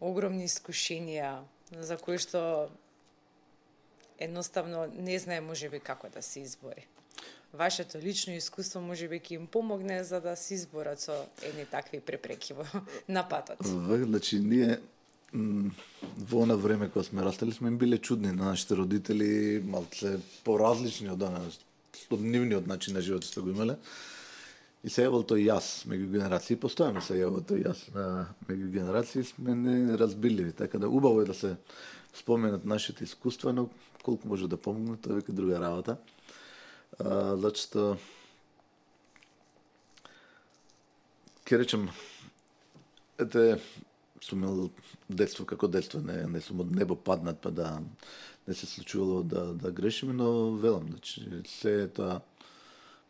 огромни искушенија за кои што едноставно не знае можеби како да се избори. Вашето лично искуство можеби ќе им помогне за да се изборат со едни такви препреки во на патот. Значи ние во она време кога сме растели сме им биле чудни на нашите родители, малце поразлични од она од нивниот начин на живот што го имале. И се јавил тој јас меѓу генерации, постојано се јавил тој јас меѓу генерации, сме неразбирливи, така да убаво е да се споменат нашите искуства, но колку може да помогнат, тоа е веќе друга работа. Uh, зачто ќе речем ете сум имал детство како детство, не не сум од небо паднат па да не се случувало да да грешиме, но велам, значи се тоа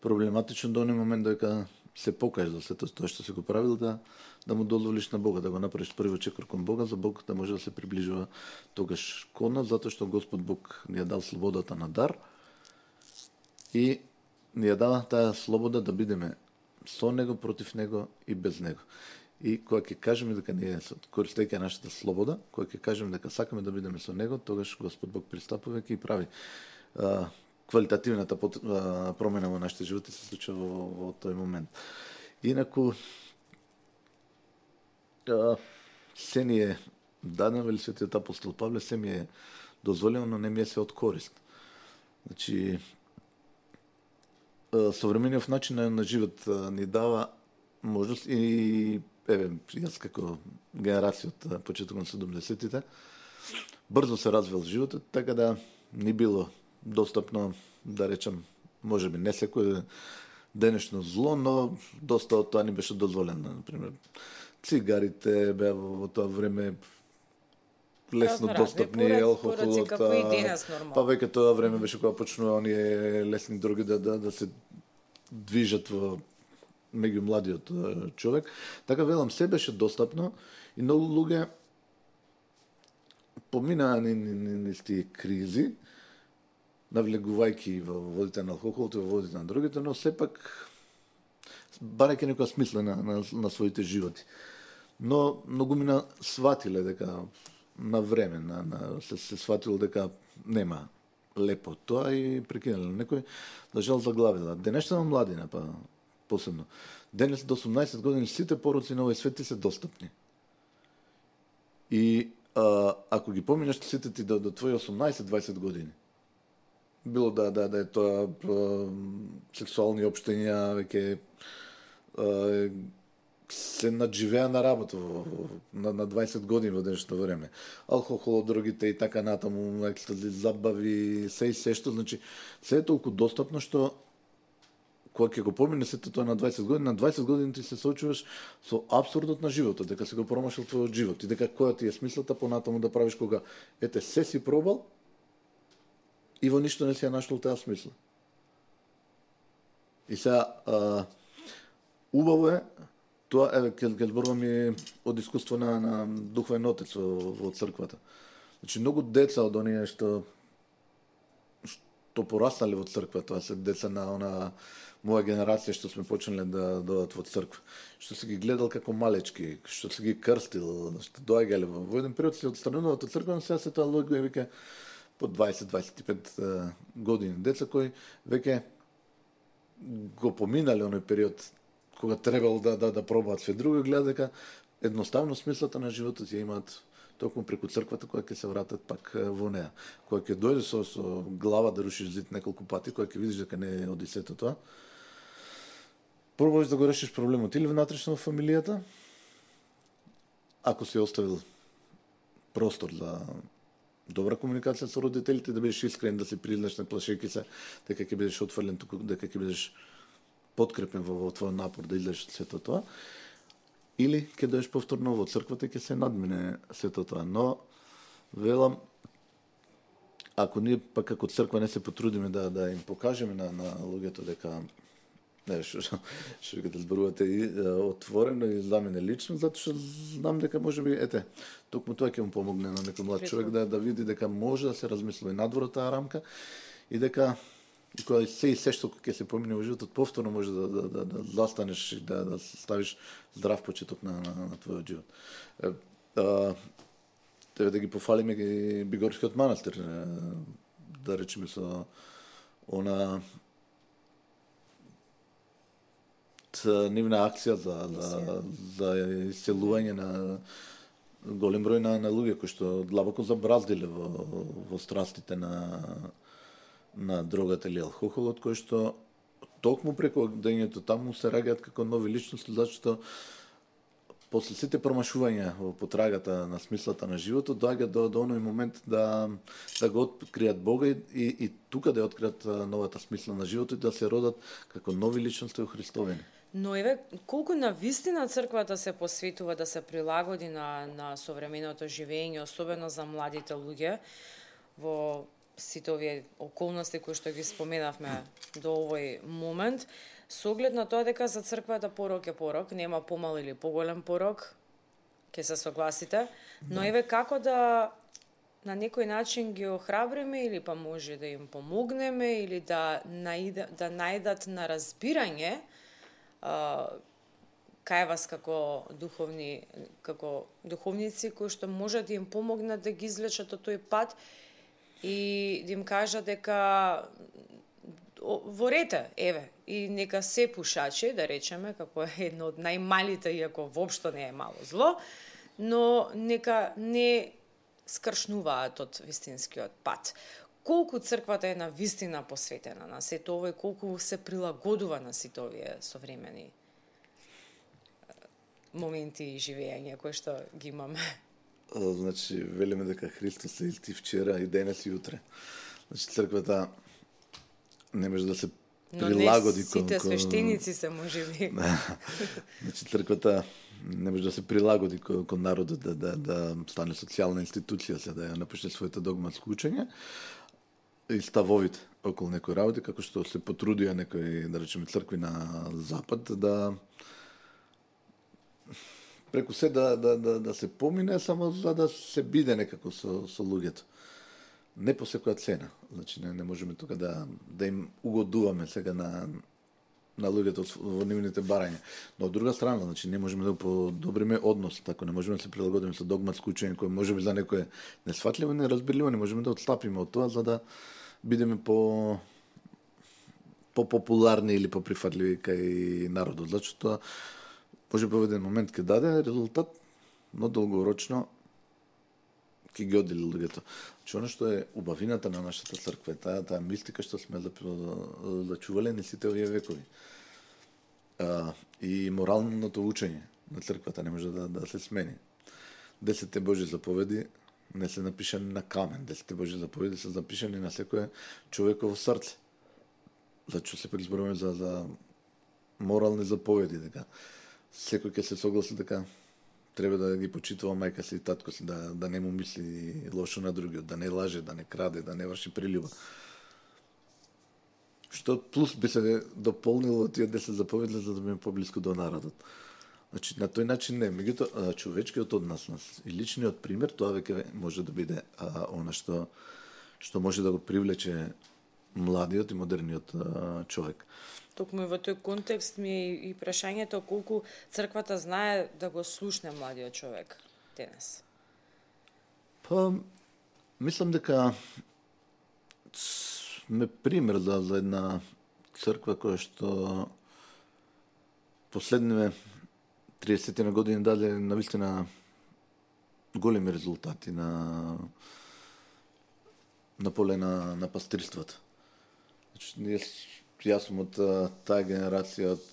проблематично до оној момент дека се покажеш за сето тоа што си го правил, да да му дозволиш на Бога, да го направиш првиот чекор кон Бога, за Бог да може да се приближува тогаш кон нас, затоа што Господ Бог ни ја дал слободата на дар. И ни ја дава таа слобода да бидеме со него, против него и без него. И кога ќе кажеме дека ние користејќи нашата слобода, кога ќе кажеме дека сакаме да бидеме со него, тогаш Господ Бог пристапува и прави а, квалитативната а, промена во нашите животи се случува во, во тој момент. Инаку а, се ни е дадено, вели светиот апостол Павле, се ми е дозволено, но не ми е се од корист. Значи современиот начин на, на живот ни дава можност и еве јас како генерација од почетокот на седумдесеттите брзо се развил животот, така да ни било достапно, да речем, можеби не секој денешно зло, но доста од тоа ни беше дозволено. Например, цигарите беа во тоа време лесно достапни, алкохолот, па веќе тоа време беше кога почнува оние лесни дроги да, да, да се движат во меѓу младиот човек. Така велам, се беше достапно и многу луѓе поминаа низ тие кризи, навлегувајќи во водите на алкохолот и во водите на дрогите, но сепак барајќи некоја смисла на, на, на своите животи. Но многумина сватиле дека на време, на, на, се, се сватило дека нема лепо тоа и прекинале. Некој, да жал, заглавила. Денешна младина, па посебно. Денес до осумнаесет години сите пороци на овој свет ти се достапни. И а, ако ги поминеш сите ти до, до твои осумнаесет-дваесет години, било да, да, да е тоа а, сексуални општења, веќе а, се надживеа на работа во, на, на дваесет години во денешно време. Алкохол, дрогите и така натаму, екстази, забави, се и се што, значи, се е толку достапно што кога ќе го помине сето тоа на дваесет години, на дваесет години ти се соочуваш со апсурдот на животот, дека си го промашил твојот живот и дека која ти е смислата понатаму да правиш кога ете се си пробал и во ништо не си ја нашол таа смисла. И сега а, убаво е тоа, еве ќе ќе зборувам и од искуство на, на духовен отец во, во црквата. Значи многу деца од оние што што пораснале во црква, тоа се деца на она моја генерација што сме почнале да дојдат во црква, што се ги гледал како малечки, што се ги крстил, што доаѓале во, во еден период се отстрануваат од црква, но сега се тоа луѓе веќе по дваесет-дваесет и пет години, деца кои веќе го поминале оној период кога требало да да да пробаат све друго, гледа дека едноставно смислата на животот ја имаат токму преку црквата, која ќе се вратат пак во неа. Која ќе дојде со, со глава да рушиш зид неколку пати, која ќе видиш дека не е од сето тоа, пробуваш да го решиш проблемот или внатрешно во фамилијата, ако си оставил простор за добра комуникација со родителите, да бидеш искрен, да се признаш, не плашејќи се дека ќе бидеш отфрлен, туку дека ќе бидеш подкрепен во, во твојот напор да излезеш од сето тоа, или ќе дојдеш повторно во црквата и ќе се надмине сето тоа. Но велам, ако ние пак како црква не се потрудиме да да им покажеме на на луѓето дека не што што ќе да зборувате и отворено и за мене лично, затоа што знам дека можеби ете токму тоа ќе му помогне на некој млад човек да да види дека може да се размисли и надвор од таа рамка и дека и кога се и се што ќе се помине во животот повторно може да да да, да застанеш и да да ставиш здрав почеток на на, на твојот живот. Е, а, Тебе да ги пофалиме ги Бигорскиот манастир, да речеме со она нивна акција за за за исцелување на голем број на, на луѓе кои што длабоко забраздиле во во страстите на на дрогата или алкохолот, кој што токму преку дењето таму се раѓаат како нови личности, зашто после сите промашувања во потрагата на смислата на животот доаѓа до до оној момент да да го откријат Бога и, и, и тука да ја откријат новата смисла на животот и да се родат како нови личности во Христовени. Но еве колку на вистина црквата се посветува да се прилагоди на на современото живење, особено за младите луѓе во сите овие околности кои што ги споменавме до овој момент, со оглед на тоа дека за црквата порок е порок, нема помал или поголем порок, ќе се согласите, но да. Еве како да на некој начин ги охрабриме или па може да им помогнеме или да наида, да најдат на разбирање а, кај вас како духовни како духовници кои што може да им помогнат да ги излечат од тој пат и да им кажа дека ворете, еве, и нека се пушачи, да речеме, како е едно од најмалите, иако воопшто не е мало зло, но нека не скршнуваат од вистинскиот пат. колку црквата е на вистина посветена на сето ова и колку се прилагодува на сите овие современи моменти и живење кои што ги имаме. Значи, велиме дека Христос е исти вчера и денес и утре. Значи, црквата не може да се прилагоди кон... Но не сите кон... свештеници се можеби. Значи, црквата не може да се прилагоди кон, кон народот, да, да, да стане социјална институција, се да ја напише своето догматско учење и ставовите околу некои работи, како што се потрудија некои, да речеме, цркви на Запад, да преку се да, да, да, да се помине, само за да се биде некако со, со луѓето. Не по секоја цена. Значи, не, не можеме тука да, да им угодуваме сега на, на луѓето во нивните барања. Но од друга страна, значи, не можеме да подобриме однос, така не можеме да се прилагодиме со догматско учење, кој може би за некој несфатливо, неразбирливо, не можеме да отстапиме од тоа, за да бидеме по по-популарни или по-прифатливи кај народот. Зачто тоа може би во еден момент ќе даде резултат, но долгорочно ќе ги одели луѓето. Значи, оно што е убавината на нашата црква, таа, таа мистика што сме зачувале не сите овие векови. А, и моралното учење на црквата не може да, да се смени. Десетте Божји заповеди не се напишани на камен, десетте Божји заповеди се запишани на секое човеково срце. Зачто сепак зборуваме за, за морални заповеди, дека секој ќе се согласи дека треба да ги почитува мајка си и татко си, да, да не му мисли лошо на другиот, да не лаже, да не краде, да не врши прилюба. Што плюс би се дополнило тие десет заповеди за да биме поблиску до народот. Значи, на тој начин не. Меѓутоа, човечкиот однос и личниот пример, тоа веќе може да биде а, она што, што може да го привлече младиот и модерниот а, човек. Токму и во тој контекст ми е и прашањето колку црквата знае да го слушне младиот човек денес. Па, мислам дека сме пример за, за една црква која што последниве триесет години даде навистина големи резултати на на поле на, на пастирството. Значи, ние Јас сум од таа генерација од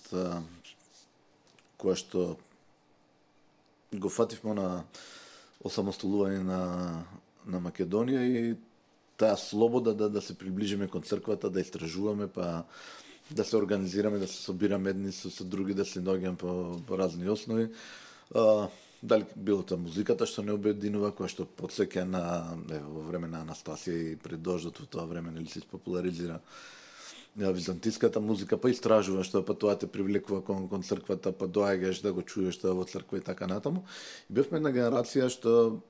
која што го фативме на осамостолување на, на Македонија и таа слобода да, да се приближиме кон црквата, да истражуваме, па да се организираме, да се собираме едни со, со други, да се доаѓаме по, по разни основи. А, дали било тоа музиката што не обединува, која што подсеќа на е, во време на Анастасија и пред дождот во тоа време нели се популаризира византиската музика, па истражуваш тоа, па тоа те привлекува кон, кон црквата, па доаѓаш да го чуеш тоа во црква и така натаму. И бевме една генерација што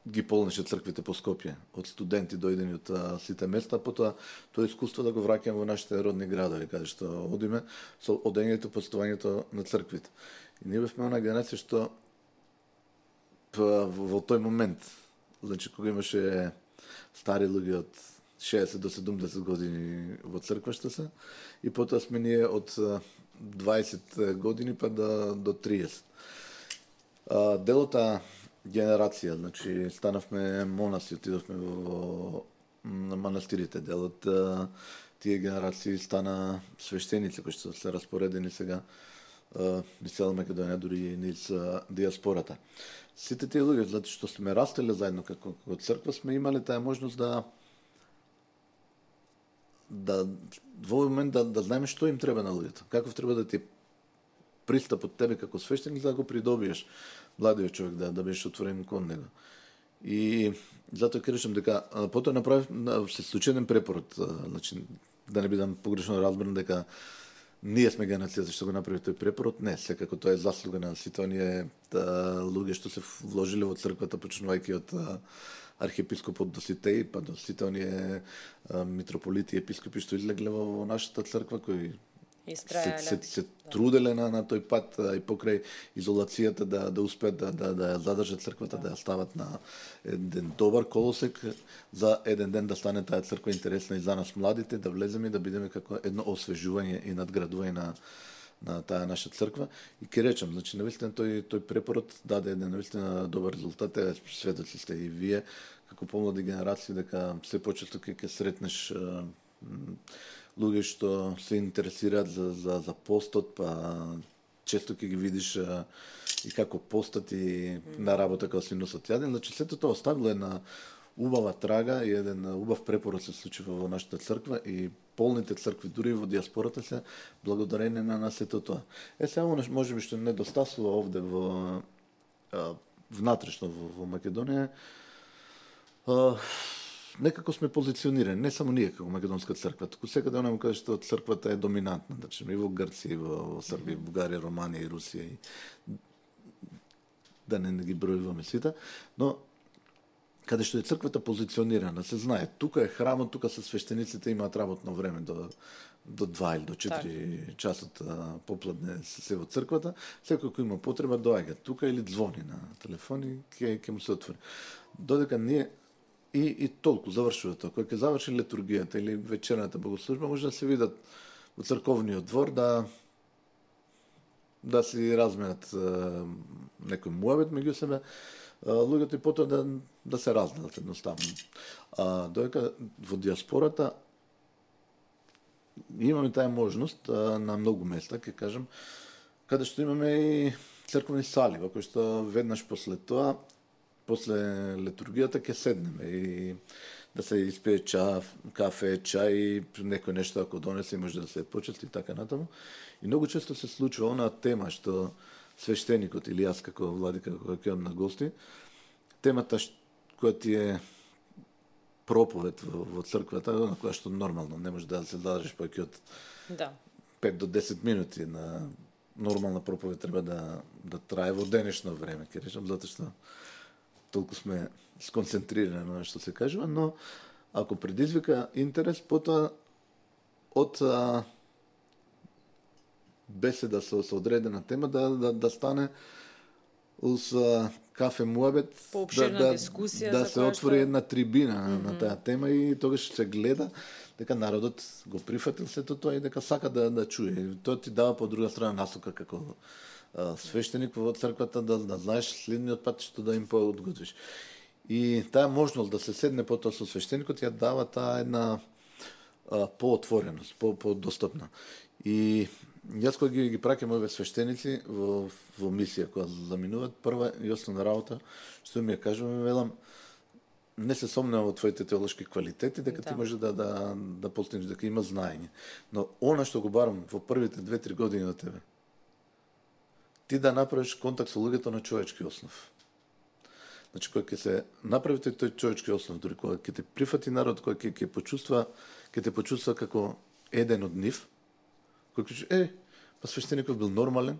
ги полнеше црквите по Скопје, од студенти дојдени од а, сите места, потоа тоа искуство да го враќаме во нашите родни градови, каде што одиме со одењето, постојањето на црквите. И ние бевме една генерација што па, во, во тој момент, значи кога имаше стари луѓе од шеесет до седумдесет години во црква што се, и потоа сме ние од дваесет години па до, до триесет. А, делота генерација, значи станавме монаси, отидовме во манастирите, делот тие генерации стана свештеници кои што се распоредени сега низ цела Македонија, дури и низ диаспората. Сите тие луѓе, затоа што сме растеле заедно како, како црква, сме имале таа можност да да во овој момент да, да знаеме што им треба на луѓето, каков треба да ти пристап од тебе како свештеник за да го придобиеш младиот човек, да да беше отворен кон него. И затоа ќе речем дека потоа направив се случи еден препорот, значи да не бидам погрешно разбран дека ние сме генерацијата што го направи тој препорот, не, секако тоа е заслуга на сите оние луѓе што се вложиле во црквата, почнувајќи од архиепископот Доситеј, па до сите оние митрополити и епископи што излегле во нашата црква, кои се, се, се труделе на, на тој пат и покрај изолацијата да, да успеат да, да, да ја задржат црквата, да ја стават на еден добар колосек за еден ден да стане таа црква интересна и за нас младите, да влеземе и да бидеме како едно освежување и надградување на на таа наша црква и ќе речам, значи навистина тој тој препорот даде еден навистина добар резултат, е сведоци сте и вие како помлади генерации дека се почесто ќе ќе сретнеш луѓе што се интересираат за за за постот, па често ќе ги видиш а, и како постат и на работа како си носат јаден, значи сето тоа оставило една убава трага и еден убав препорот се случува во нашата црква и полните цркви, дури во диаспората се благодарение на на сето тоа. Е сега може би што недостасува овде во а, внатрешно во, во Македонија, а, некако сме позиционирани, не само ние како македонска црква, туку секаде онamo каже што црквата е доминантна, значи и во Грција, и во Србија, Бугарија, Романија и Русија и да не, не ги бројуваме сите, но каде што е црквата позиционирана, се знае, тука е храмот, тука се свештениците имаат работно време до до два или до четири так. часот попладне се, се во црквата, секој кој има потреба доаѓа тука или звони на телефон и ќе ќе му се отвори. Додека ние и и толку завршува тоа, кој ќе заврши литургијата или вечерната богослужба, може да се видат во црковниот двор да да си разменат некој муабет меѓу себе, луѓето и потоа да, да се разделат едноставно. А, додека во диаспората имаме таа можност а, на многу места, ќе кажам, каде што имаме и црковни сали, во кои што веднаш после тоа, после литургијата ќе седнеме и да се испие ча, кафе, чај, некој нешто ако донесе може да се почести и така натаму. И многу често се случува онаа тема што свештеникот или јас како владика кога ќе на гости, темата ш, која ти е проповед во, во црквата, на која што нормално не може да се задржиш повеќе од да. пет до десет минути, на нормална проповед треба да да трае во денешно време, ќе речам, затоа што толку сме сконцентрирани на што се кажува, но ако предизвика интерес, потоа од а, беседа со, со одредена тема да, да, да стане уз а, кафе муабет, да, да, дискусија да за се отвори што... една трибина mm-hmm. на таа тема и тогаш се гледа дека народот го прифатил сето тоа и дека сака да, да чуе. Тоа ти дава по друга страна насока како а, свештеник во црквата да, да знаеш следниот пат што да им поодготвиш. И таа можност да се седне потоа со свештеникот ја дава таа една а, поотвореност, по подостапна. И јас кога ги, ги праќам овие свештеници во, во мисија која заминуваат, прва и основна работа што ми ја кажуваме, велам, не се сомневам во твоите теолошки квалитети, дека да. ти може да да да постигнеш, дека има знаење. Но она што го барам во првите две-три години од тебе, ти да направиш контакт со луѓето на човечки основ. Значи, кога ќе се направите тој човечки основ, дури кога ќе те прифати народ, кога ќе ќе почувства, ќе те почувства како еден од нив, кој ќе е, па свештеникот бил нормален.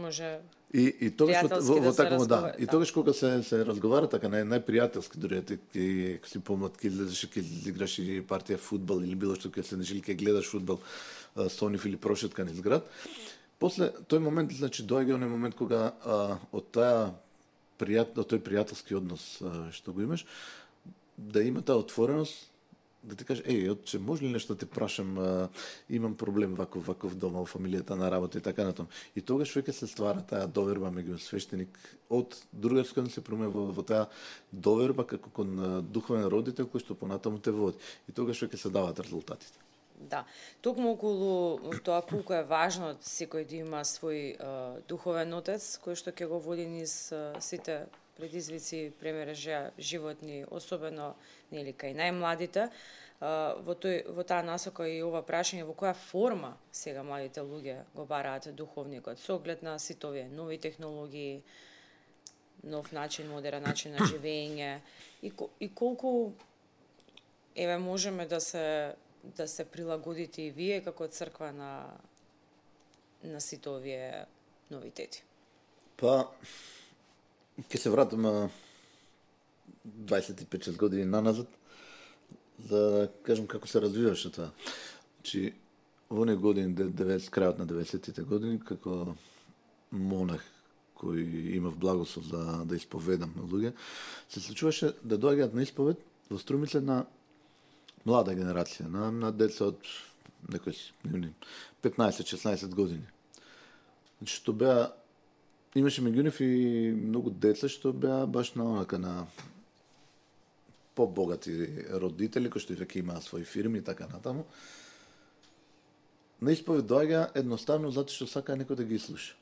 Може И и тогаш во, во, да во такво да. да. И тогаш кога се се разговара така нај најпријателски, дури ти ќе си помлад ќе излезеш ќе играш и партија фудбал или било што ќе седнеш или ќе гледаш фудбал со нив или прошетка низ град. После тој момент, значи доаѓа оној момент кога а, од таа пријател, тој пријателски однос а, што го имаш, да има таа отвореност, да ти каже, еј, отче, може ли нешто да те прашам, а, имам проблем ваков, ваков дома, во фамилијата на работа и така натаму. И тогаш веќе се ствара таа доверба меѓу свештеник од другарска да се промени во, во таа доверба како кон духовен родител кој што понатаму те води. И тогаш веќе се даваат резултатите. Да, токму околу тоа колку е важно секој да има свој uh, духовен отец кој што ќе го води низ uh, сите предизвици, премережа животни, особено нели кај најмладите. Uh, во тој во таа насока и ова прашање во која форма сега младите луѓе го бараат духовникот со оглед на сите овие нови технологии, нов начин, модерен начин на живење и и колку еве можеме да се да се прилагодите и вие како црква на на сите овие новитети? Па, ќе се вратам дваесет и пет години наназад, за да кажам како се развиваше тоа. Значи, во оние години, крајот на деветдесетите години, како монах кој имав благослов да, да исповедам на луѓе, се случуваше да доаѓаат на исповед во Струмица на млада генерација, на, на деца од некои петнаесет-шеснаесет години. Значи, што беа, имаше меѓу нив и многу деца што беа баш на онака на побогати родители, кои што и веќе имаа своји фирми и така натаму. На исповед доаѓа едноставно затоа што сака некој да ги слуша.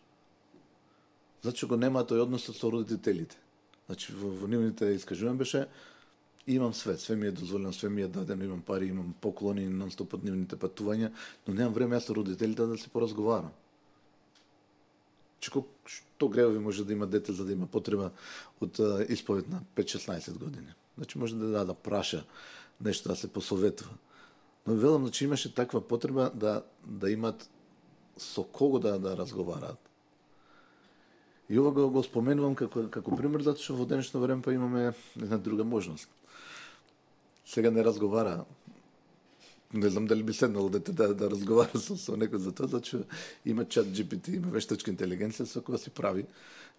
Затоа што го нема тој однос со родителите. Значи, во, во нивните искажувања беше имам свет, све ми е дозволено, све ми е дадено, имам пари, имам поклони, нон-стоп од нивните патувања, но немам време јас со родителите да се поразговарам. Че што гревови може да има дете за да има потреба од uh, исповед на пет-шеснаесет години. Значи може да да, да праша нешто, да се посоветува. Но велам, значи имаше таква потреба да да имат со кого да да разговараат. И ова го, го споменувам како како пример затоа што во денешно време па имаме една друга можност. Сега не разговара. Не знам дали би седнало дете да, да разговара со, со некој за тоа, зато има чат Джи Пи Ти, има вештачка интелигенција со која си прави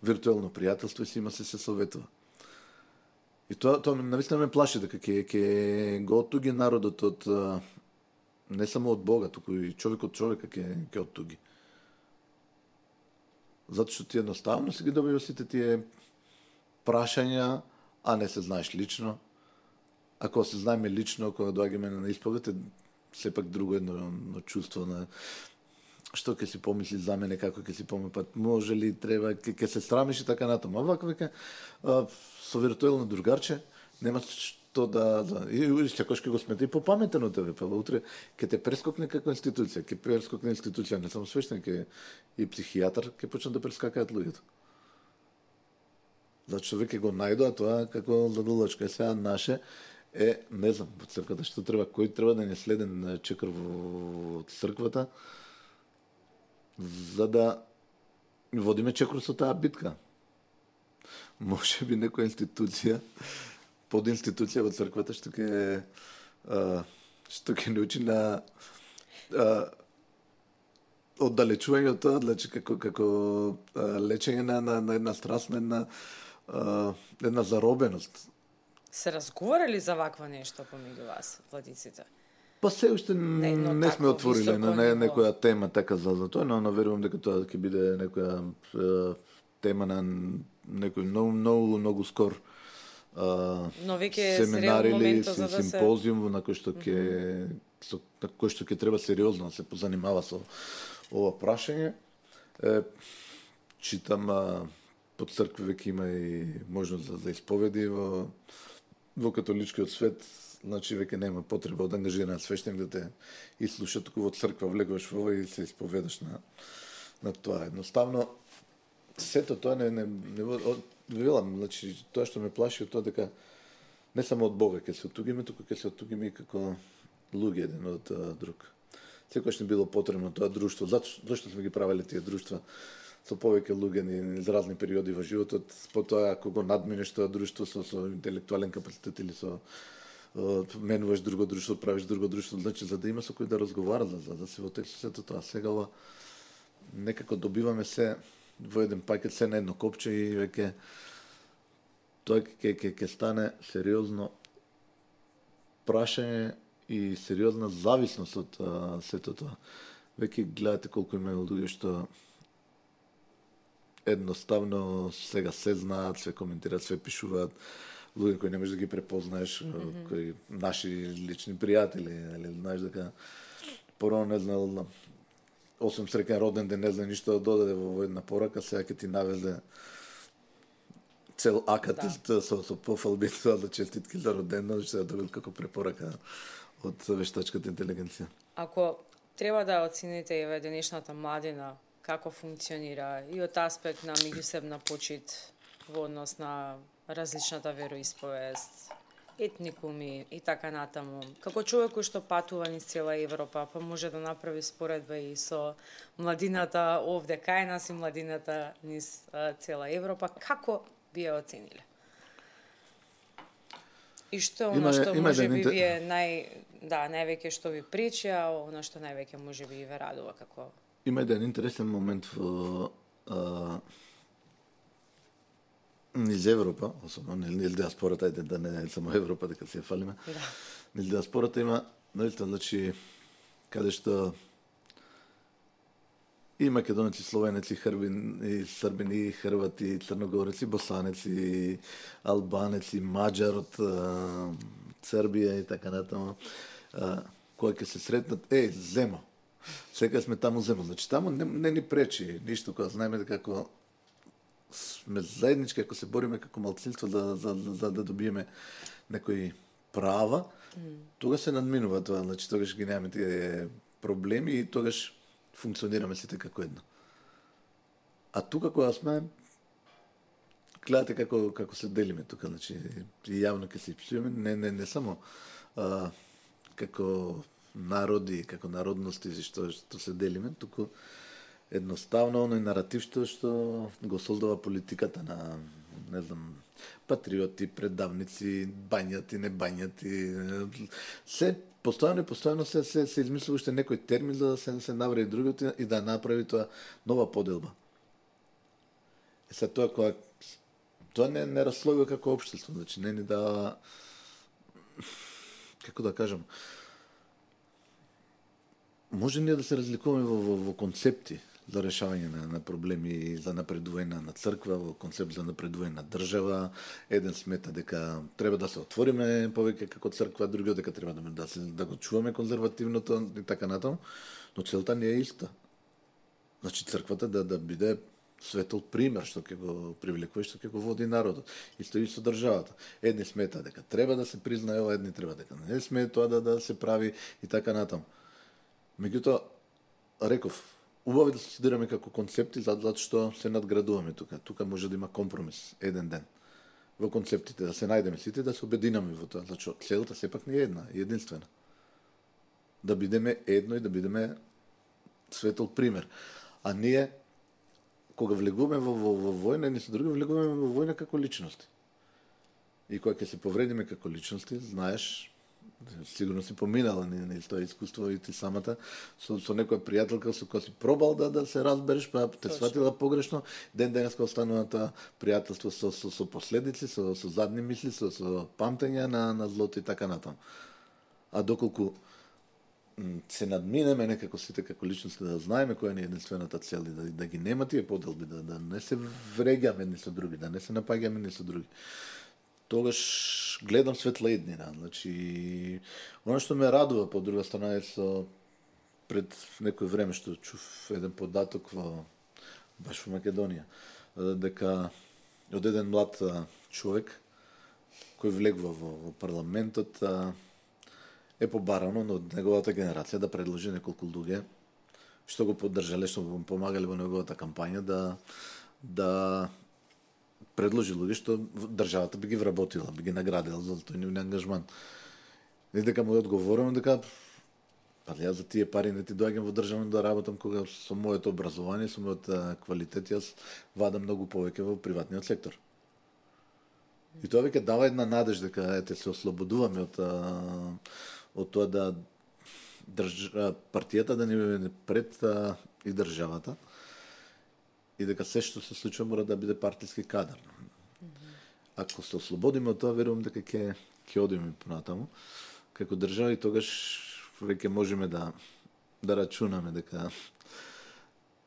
виртуелно пријателство и си има се се советува. И тоа тоа навистина ме плаши дека ќе ќе го оттуги народот од не само од Бога, туку и човек од човека ќе ќе оттуги. Затоа што ти едноставно си ги добива сите тие прашања, а не се знаеш лично. Ако се знаеме лично, кога доаѓаме на исповед, е сепак друго едно, едно чувство на што ќе си помисли за мене, како ќе си помисли, па може ли, треба, ќе, ќе се срамиш и така натаму. А вака веќе со виртуелно другарче нема што да, да и секогаш ќе го смета и попаметен од тебе, па утре ќе те прескокне како институција, ќе прескокне институција, не само свештеник, ќе и психијатар ќе почнат да прескакаат луѓето. Затоа што веќе го најдоа тоа како задолжка. Сега наше е, не знам, во црквата што треба, кој треба да не следен чекор во црквата, за да водиме чекор со таа битка. Може би некоја институција, под институција во црквата што ќе што ќе научи на а, оддалечување од тоа, значи како како а, лечење на, на, на една страст, на една а, една заробеност. Се разговарали за вакво нешто помеѓу вас, владиците? Па се уште не, не сме отвориле на не, некоја тема така за, за тоа, но, но верувам дека тоа ќе биде некоја е, тема на некој многу многу многу скор а, но веќе семинар или за да симпозиум се... на кој што ќе mm-hmm. со на кој што ќе треба сериозно да се позанимава со ова прашање. Е, читам а, по цркви веќе има и можност за, за исповеди во во католичкиот свет, значи веќе нема потреба од ангажиран свештеник да те ислуша, туку во црква влегуваш во ова и се исповедаш на на тоа. Едноставно сето тоа не не не велам, значи тоа што ме плаши од тоа дека не само од Бога ќе се оттугиме, туку ќе се оттугиме и како луѓе еден од друг. Секогаш не било потребно тоа друштво, зашто зашто сме ги правеле тие друштва со повеќе луѓе низ разни периоди во животот, потоа ако го надминеш тоа друштво со, со интелектуален капацитет или со менуваш друго друштво, правиш друго друштво, значи за да има со кој да разговара, за да се во текст сето тоа. Сега ова некако добиваме се во еден пакет, се на едно копче и веќе тоа ќе ќе ќе стане сериозно прашање и сериозна зависност од а, сето тоа. Веќе гледате колку има луѓе што едноставно сега се знаат, све коментираат, све пишуваат, луѓе кои не можеш да ги препознаеш, mm-hmm. кои наши лични пријатели, или знаеш дека порано не знал, осум среќен роден ден, не знае ништо да додаде во една порака, сега ќе ти навезе цел акат да. со, со пофалби за честитки за роден ден, што ја добил како препорака од вештачката интелигенција. Ако треба да оцените еве денешната младина, како функционира и од аспект на меѓусебна почит во однос на различната вероисповест, етникуми и така натаму. Како човек кој што патува низ цела Европа, па може да направи споредба и со младината овде кај нас и младината низ а, цела Европа, како би ја оцениле? И што оно што може би вие нај да, највеќе што ви пречи, а оно што највеќе може би ве радува како има еден интересен момент во а, низ Европа, особено низ диаспората, ајде да не е само Европа, дека се фалиме. Да. Низ диаспората има, наистина, значи, каде што и македонеци, словенеци, хрбин, и србини, и хрвати, и црногореци, босанеци, и албанеци, маđар од Црбија и така натаму. Кој ќе се сретнат, е, земо. Сега сме таму земо. Значи, таму не, не ни пречи ништо, кога знаеме како сме заеднички, ако се бориме како малцинство за, за, за, за да добиеме некои права, mm. тогаш се надминува тоа, значи тогаш ги немаме тие проблеми и тогаш функционираме сите како едно. А тука кога сме, гледате како како се делиме тука, значи и јавно ќе се пишеме, не не не само а, како народи, како народности што што се делиме, туку едноставно оној наратив што што го создава политиката на, не знам, патриоти, предавници, бањати, не бањати, се постојано и постојано се се, се измислува уште некој термин за да се се навреди другиот и да направи тоа нова поделба. Е се тоа кога тоа не не расслојува како општество, значи не ни да, како да кажам, може ние да се разликуваме во, во, во концепти за решавање на, на проблеми, за напредување на црква, во концепт за напредување на држава. Еден смета дека треба да се отвориме повеќе како црква, другиот дека треба да, да, се, да го чуваме конзервативното и така натаму, но целта не е иста. Значи црквата да, да биде светол пример, што ќе го привлекува, што ќе го води народот. Исто и со државата. Едни смета дека треба да се признае ова, едни треба дека не сме тоа да, да се прави и така натаму. Меѓутоа, реков, убаво е да се студираме како концепти, затоа што се надградуваме тука. Тука може да има компромис еден ден во концептите, да се најдеме сите, да се обединаме во тоа, зашто целта сепак не е една, е единствена. Да бидеме едно и да бидеме светол пример. А ние кога влегуваме во, во, во војна, не со други влегуваме во војна како личности. И кога ќе се повредиме како личности, знаеш, сигурно си поминала не тоа искуство и ти самата со со некоја пријателка со која си пробал да да се разбереш, па те сватила погрешно, ден денеска останува тоа пријателство со со со последици, со со задни мисли, со со памтење на на злото и така натаму. А доколку се надминеме некако сите како личности, да знаеме која ни е единствената цел и да, да ги нема тие поделби, да, да не се вреѓаме едни со други, да не се напаѓаме едни со други, тогаш гледам светла иднина. Значи, оно што ме радува по друга страна е со пред некој време што чув еден податок во баш во Македонија, дека од еден млад човек кој влегува во, во парламентот е побарано од неговата генерација да предложи неколку луѓе што го поддржале, што го помагале во неговата кампања да да предложи луѓе што државата би ги вработила, би ги наградила за тој нивен ангажман. И дека му одговорувам дека па јас за тие пари не ти доаѓам во државно да работам кога со моето образование, со мојот квалитет јас вадам многу повеќе во приватниот сектор. И тоа веќе дава една надеж дека ете се ослободуваме од од тоа да држ... партијата да ни биде пред и државата. И дека се што се случува мора да биде партиски кадар. Mm-hmm. Ако се ослободиме од тоа, верувам дека ќе ќе одиме понатаму како држава и тогаш веќе можеме да да рачунаме дека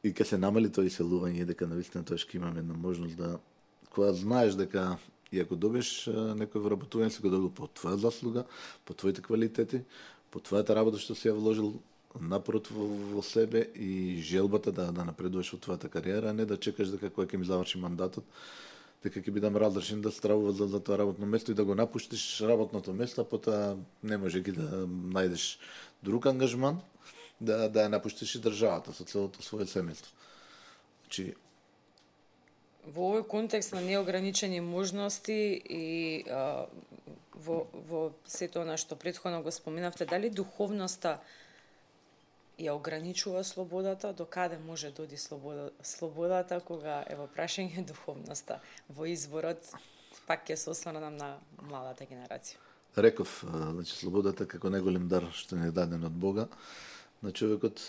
и ќе се намали тоа иселување и дека навистина тоа ќе имаме една можност да кога знаеш дека и ако добиеш некој вработување се го добил по твоја заслуга, по твоите квалитети, по твојата работа што си ја вложил напорот во, во себе и желбата да да напредуваш во твојата кариера, а не да чекаш дека кога ќе ми заврши мандатот, дека ќе бидам разрешен да стравува за, за тоа работно место и да го напуштиш работното место, а потоа не може ги да најдеш друг ангажман, да да ја напуштиш и државата со целото свое семејство. Значи во овој контекст на неограничени можности и а, во во сето она што претходно го споменавте, дали духовноста ја ограничува слободата, до каде може да оди слобода, слободата кога е во прашање духовноста во изборот, пак ќе се осврнам на младата генерација. Реков, значи слободата како најголем дар што ни е даден од Бога, на човекот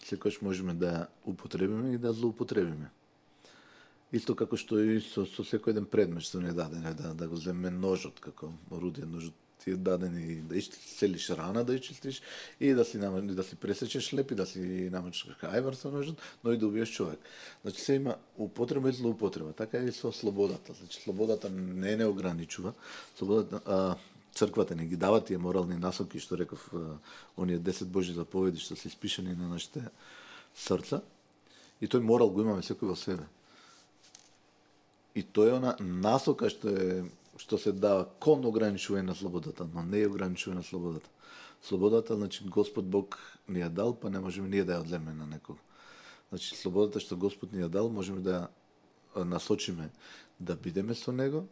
секојаш можеме да ја употребиме и да злоупотребиме. Исто како што и со, со секој еден предмет што ни е даден, да, да го земеме ножот како орудие, ножот ти е дадени да исцелиш рана, да исчистиш и да си да си пресечеш леп и да си намачиш ајвар со ножот, но и да убиеш човек. Значи се има употреба и злоупотреба. Така е и со слободата. Значи слободата не не ограничува. Слободата, а, црквата не ги дава тие морални насоки, што реков, а, оние десет Божји заповеди што се испишани на нашите срца. И тој морал го имаме секој во себе. И тој е она насока што е што се дава кон ограничување на слободата, но не е ограничување на слободата. Слободата, значи, Господ Бог ни ја дал, па не можеме ние да ја одземе на некого. Значи, слободата што Господ ни ја дал, можеме да ја насочиме да бидеме со Него,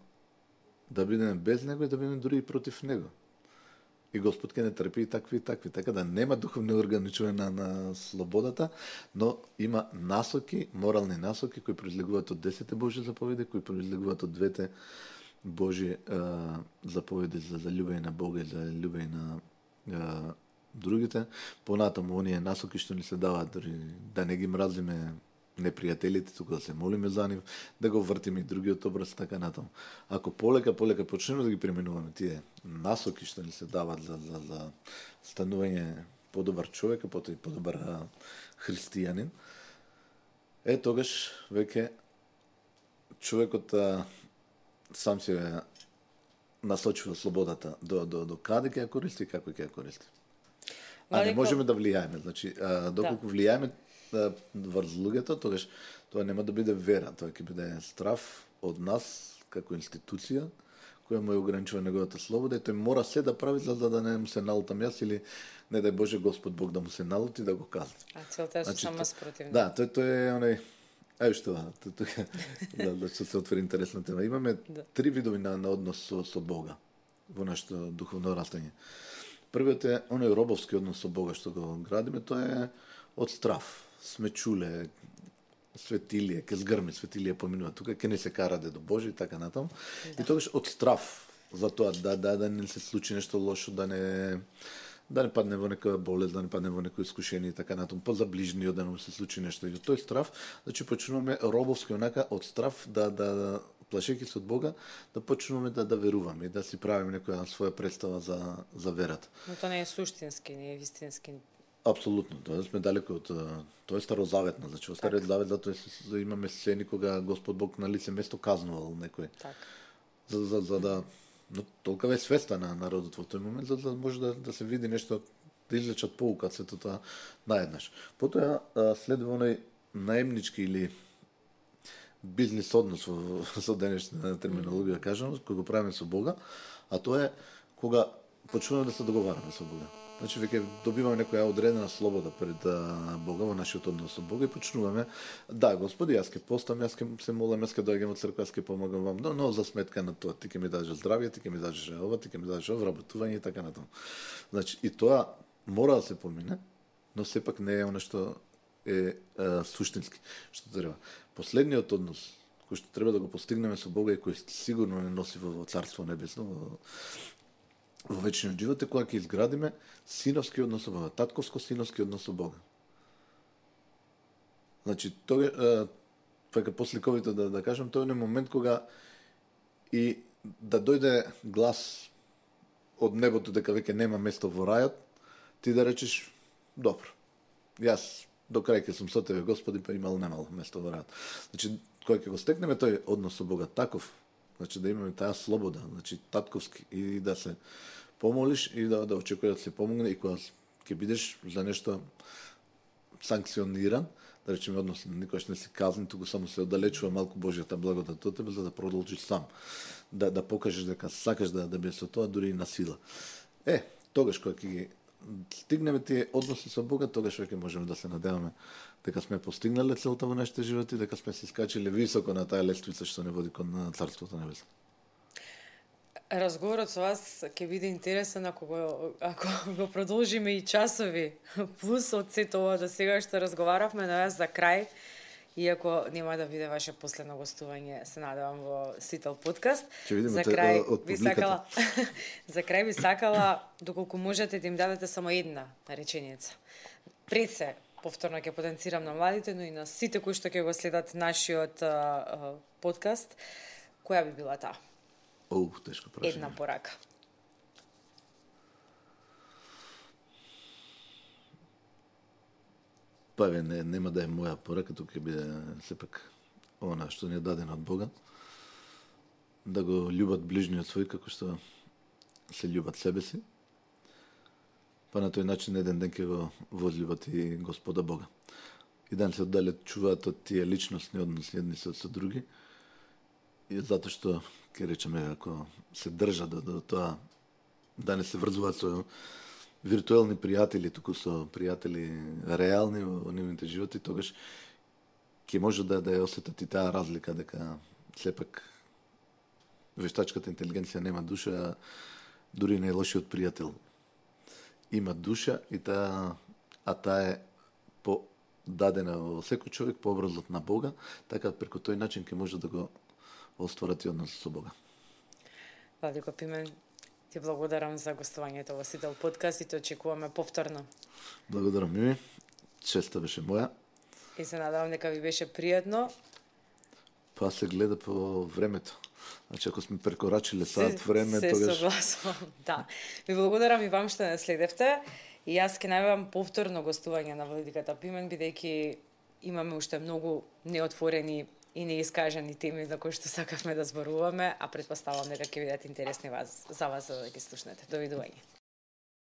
да бидеме без Него и да бидеме дури и против Него. И Господ ке не трпи и такви и такви. Така да нема духовно ограничување на, на слободата, но има насоки, морални насоки, кои произлегуваат од десете Божји заповеди, кои произлегуваат од двете Божји а, заповеди за, за љубење на Бога и за љубење на а, другите. Понатаму, оние насоки што ни се даваат, дори да не ги мразиме непријателите, туку да се молиме за нив, да го вртиме и другиот образ, така натаму. Ако полека, полека почнеме да ги применуваме тие насоки што ни се даваат за, за, за станување подобар човек, потоа и подобар а, христијанин, е тогаш веќе човекот а, сам се насочува слободата до, до, до каде ќе ја користи и како ќе ја користи. А не можеме да влијаеме. Значи, а, доколку да. влијаеме врз луѓето, тогаш тоа нема да биде вера, тоа ќе биде страф од нас како институција која му е ограничува неговата слобода и тој мора се да прави за да не му се налутам јас или не дај Боже Господ Бог да му се налути да го казни. А целта е значи, само спротивно. Да, тој тој е онај ај што тука да да се отвори интересна тема. Имаме да. три видови на, на однос со, со Бога во нашето духовно растење. Првиот е оној робовски однос со Бога што го градиме, тоа е од страф. Сме чуле светилие, ке згрми светилие поминува тука, ке не се караде до Божи и така натаму. Да. И тогаш од страф за тоа да да да не се случи нешто лошо, да не да не падне во некоја болест, да не падне во некој искушение и така натаму, па за ближниот да не му се случи нешто. И тој страф, значи почнуваме робовски онака од страф да да, да плашејќи се од Бога, да почнуваме да да веруваме и да си правиме некоја своја представа за за верата. Но тоа не е суштински, не е вистински. Апсолутно, тоа сме далеко од тоа е старозаветно, значи во Стариот Завет затоа имаме сцени кога Господ Бог на лице место казнувал некој. Так. За, за, за да но толкова е свеста на народот во тој момент за да може да, да се види нешто, да извлечат поука од сето тоа наеднаш. Потоа следува оној наемнички или бизнис однос во, со денешна терминологија да кажам, кој го правиме со Бога, а тоа е кога почнуваме да се договараме со Бога. Значи веќе добиваме некоја одредена слобода пред а, Бога во нашиот однос со Бога и почнуваме да, Господи, јас ќе постам, јас ќе се молам, јас ќе доаѓам од црква, јас ќе помагам вам, но, но за сметка на тоа ти ќе ми дадеш здравје, ти ќе ми дадеш ова, ти ќе ми дадеш вработување и така натаму. Значи и тоа мора да се помине, но сепак не е она што е а, суштински, што треба. Последниот однос кој што треба да го постигнеме со Бога и кој сигурно не носи во Царство небесно, во во вечниот живот е кога ќе изградиме синовски однос со Бога, татковско-синовски однос со Бога. Значи, тоа е посликовито да, да кажам, тоа е момент кога и да дојде глас од небото дека веќе нема место во рајот, ти да речеш, добро, јас до крај ќе сум со тебе, Господи, па имал немал место во рајот. Значи, кога ќе го стекнеме тој однос со Бога таков, значи да имаме таа слобода, значи татковски и да се помолиш и да да очекуваш да се помогне и кога ќе бидеш за нешто санкциониран, да речеме односно никогаш не си казнен, туку само се оддалечува малку Божјата благодат од тебе за да продолжиш сам, да да покажеш дека сакаш да да бидеш со тоа дури и на сила. Е, тогаш кога ќе ги стигнеме тие односи со Бога, тогаш веќе можеме да се надеваме дека сме постигнале целта во нашите животи, дека сме се искачиле високо на таа лествица што не води кон Царството небесно. Разговорот со вас ќе биде интересен ако го, ако го продолжиме и часови плюс од сето ова до сега што разговаравме, но јас за крај, иако нема да биде ваше последно гостување, се надевам во Сител подкаст. За крај би сакала за крај би сакала доколку можете да им дадете само една реченица. Пред се повторно ќе потенцирам на младите, но и на сите кои што ќе го следат нашиот а, а, подкаст, која би била таа? Оу, тешко прашање. Една порака. па еве не, нема да е моја порака, тука ќе биде сепак она што ни е дадено од Бога, да го љубат ближниот свој како што се љубат себе си, па на тој начин еден ден ќе го возлюбат и Господа Бога. И да не се оддалечуваат од тие личностни односи едни со, со други, и затоа што, ќе речеме, ако се држат до, до тоа, да не се врзуваат со виртуелни пријатели, туку со пријатели реални во нивните животи, тогаш ќе може да, да ја осетат и таа разлика, дека сепак вештачката интелигенција нема душа, а дури најлошиот пријател има душа и таа, а таа е по дадена во секој човек по образот на Бога, така преку тој начин ќе може да го остварат и однос со Бога. Владико Пимен, ти благодарам за гостувањето во Сител подкаст и те очекуваме повторно. Благодарам ми, честа беше моја. И се надевам дека ви беше пријатно. Па се гледа по времето. Значи, ако сме прекорачиле сад време, се тогаш... Се согласувам, да. Ви благодарам и вам што не следевте. И јас ке најавам повторно гостување на Владиката Пимен, бидејќи имаме уште многу неотворени и неискажани теми за кои што сакавме да зборуваме, а претпоставам дека ќе бидат интересни вас, за вас за да ги слушнете. Довидување.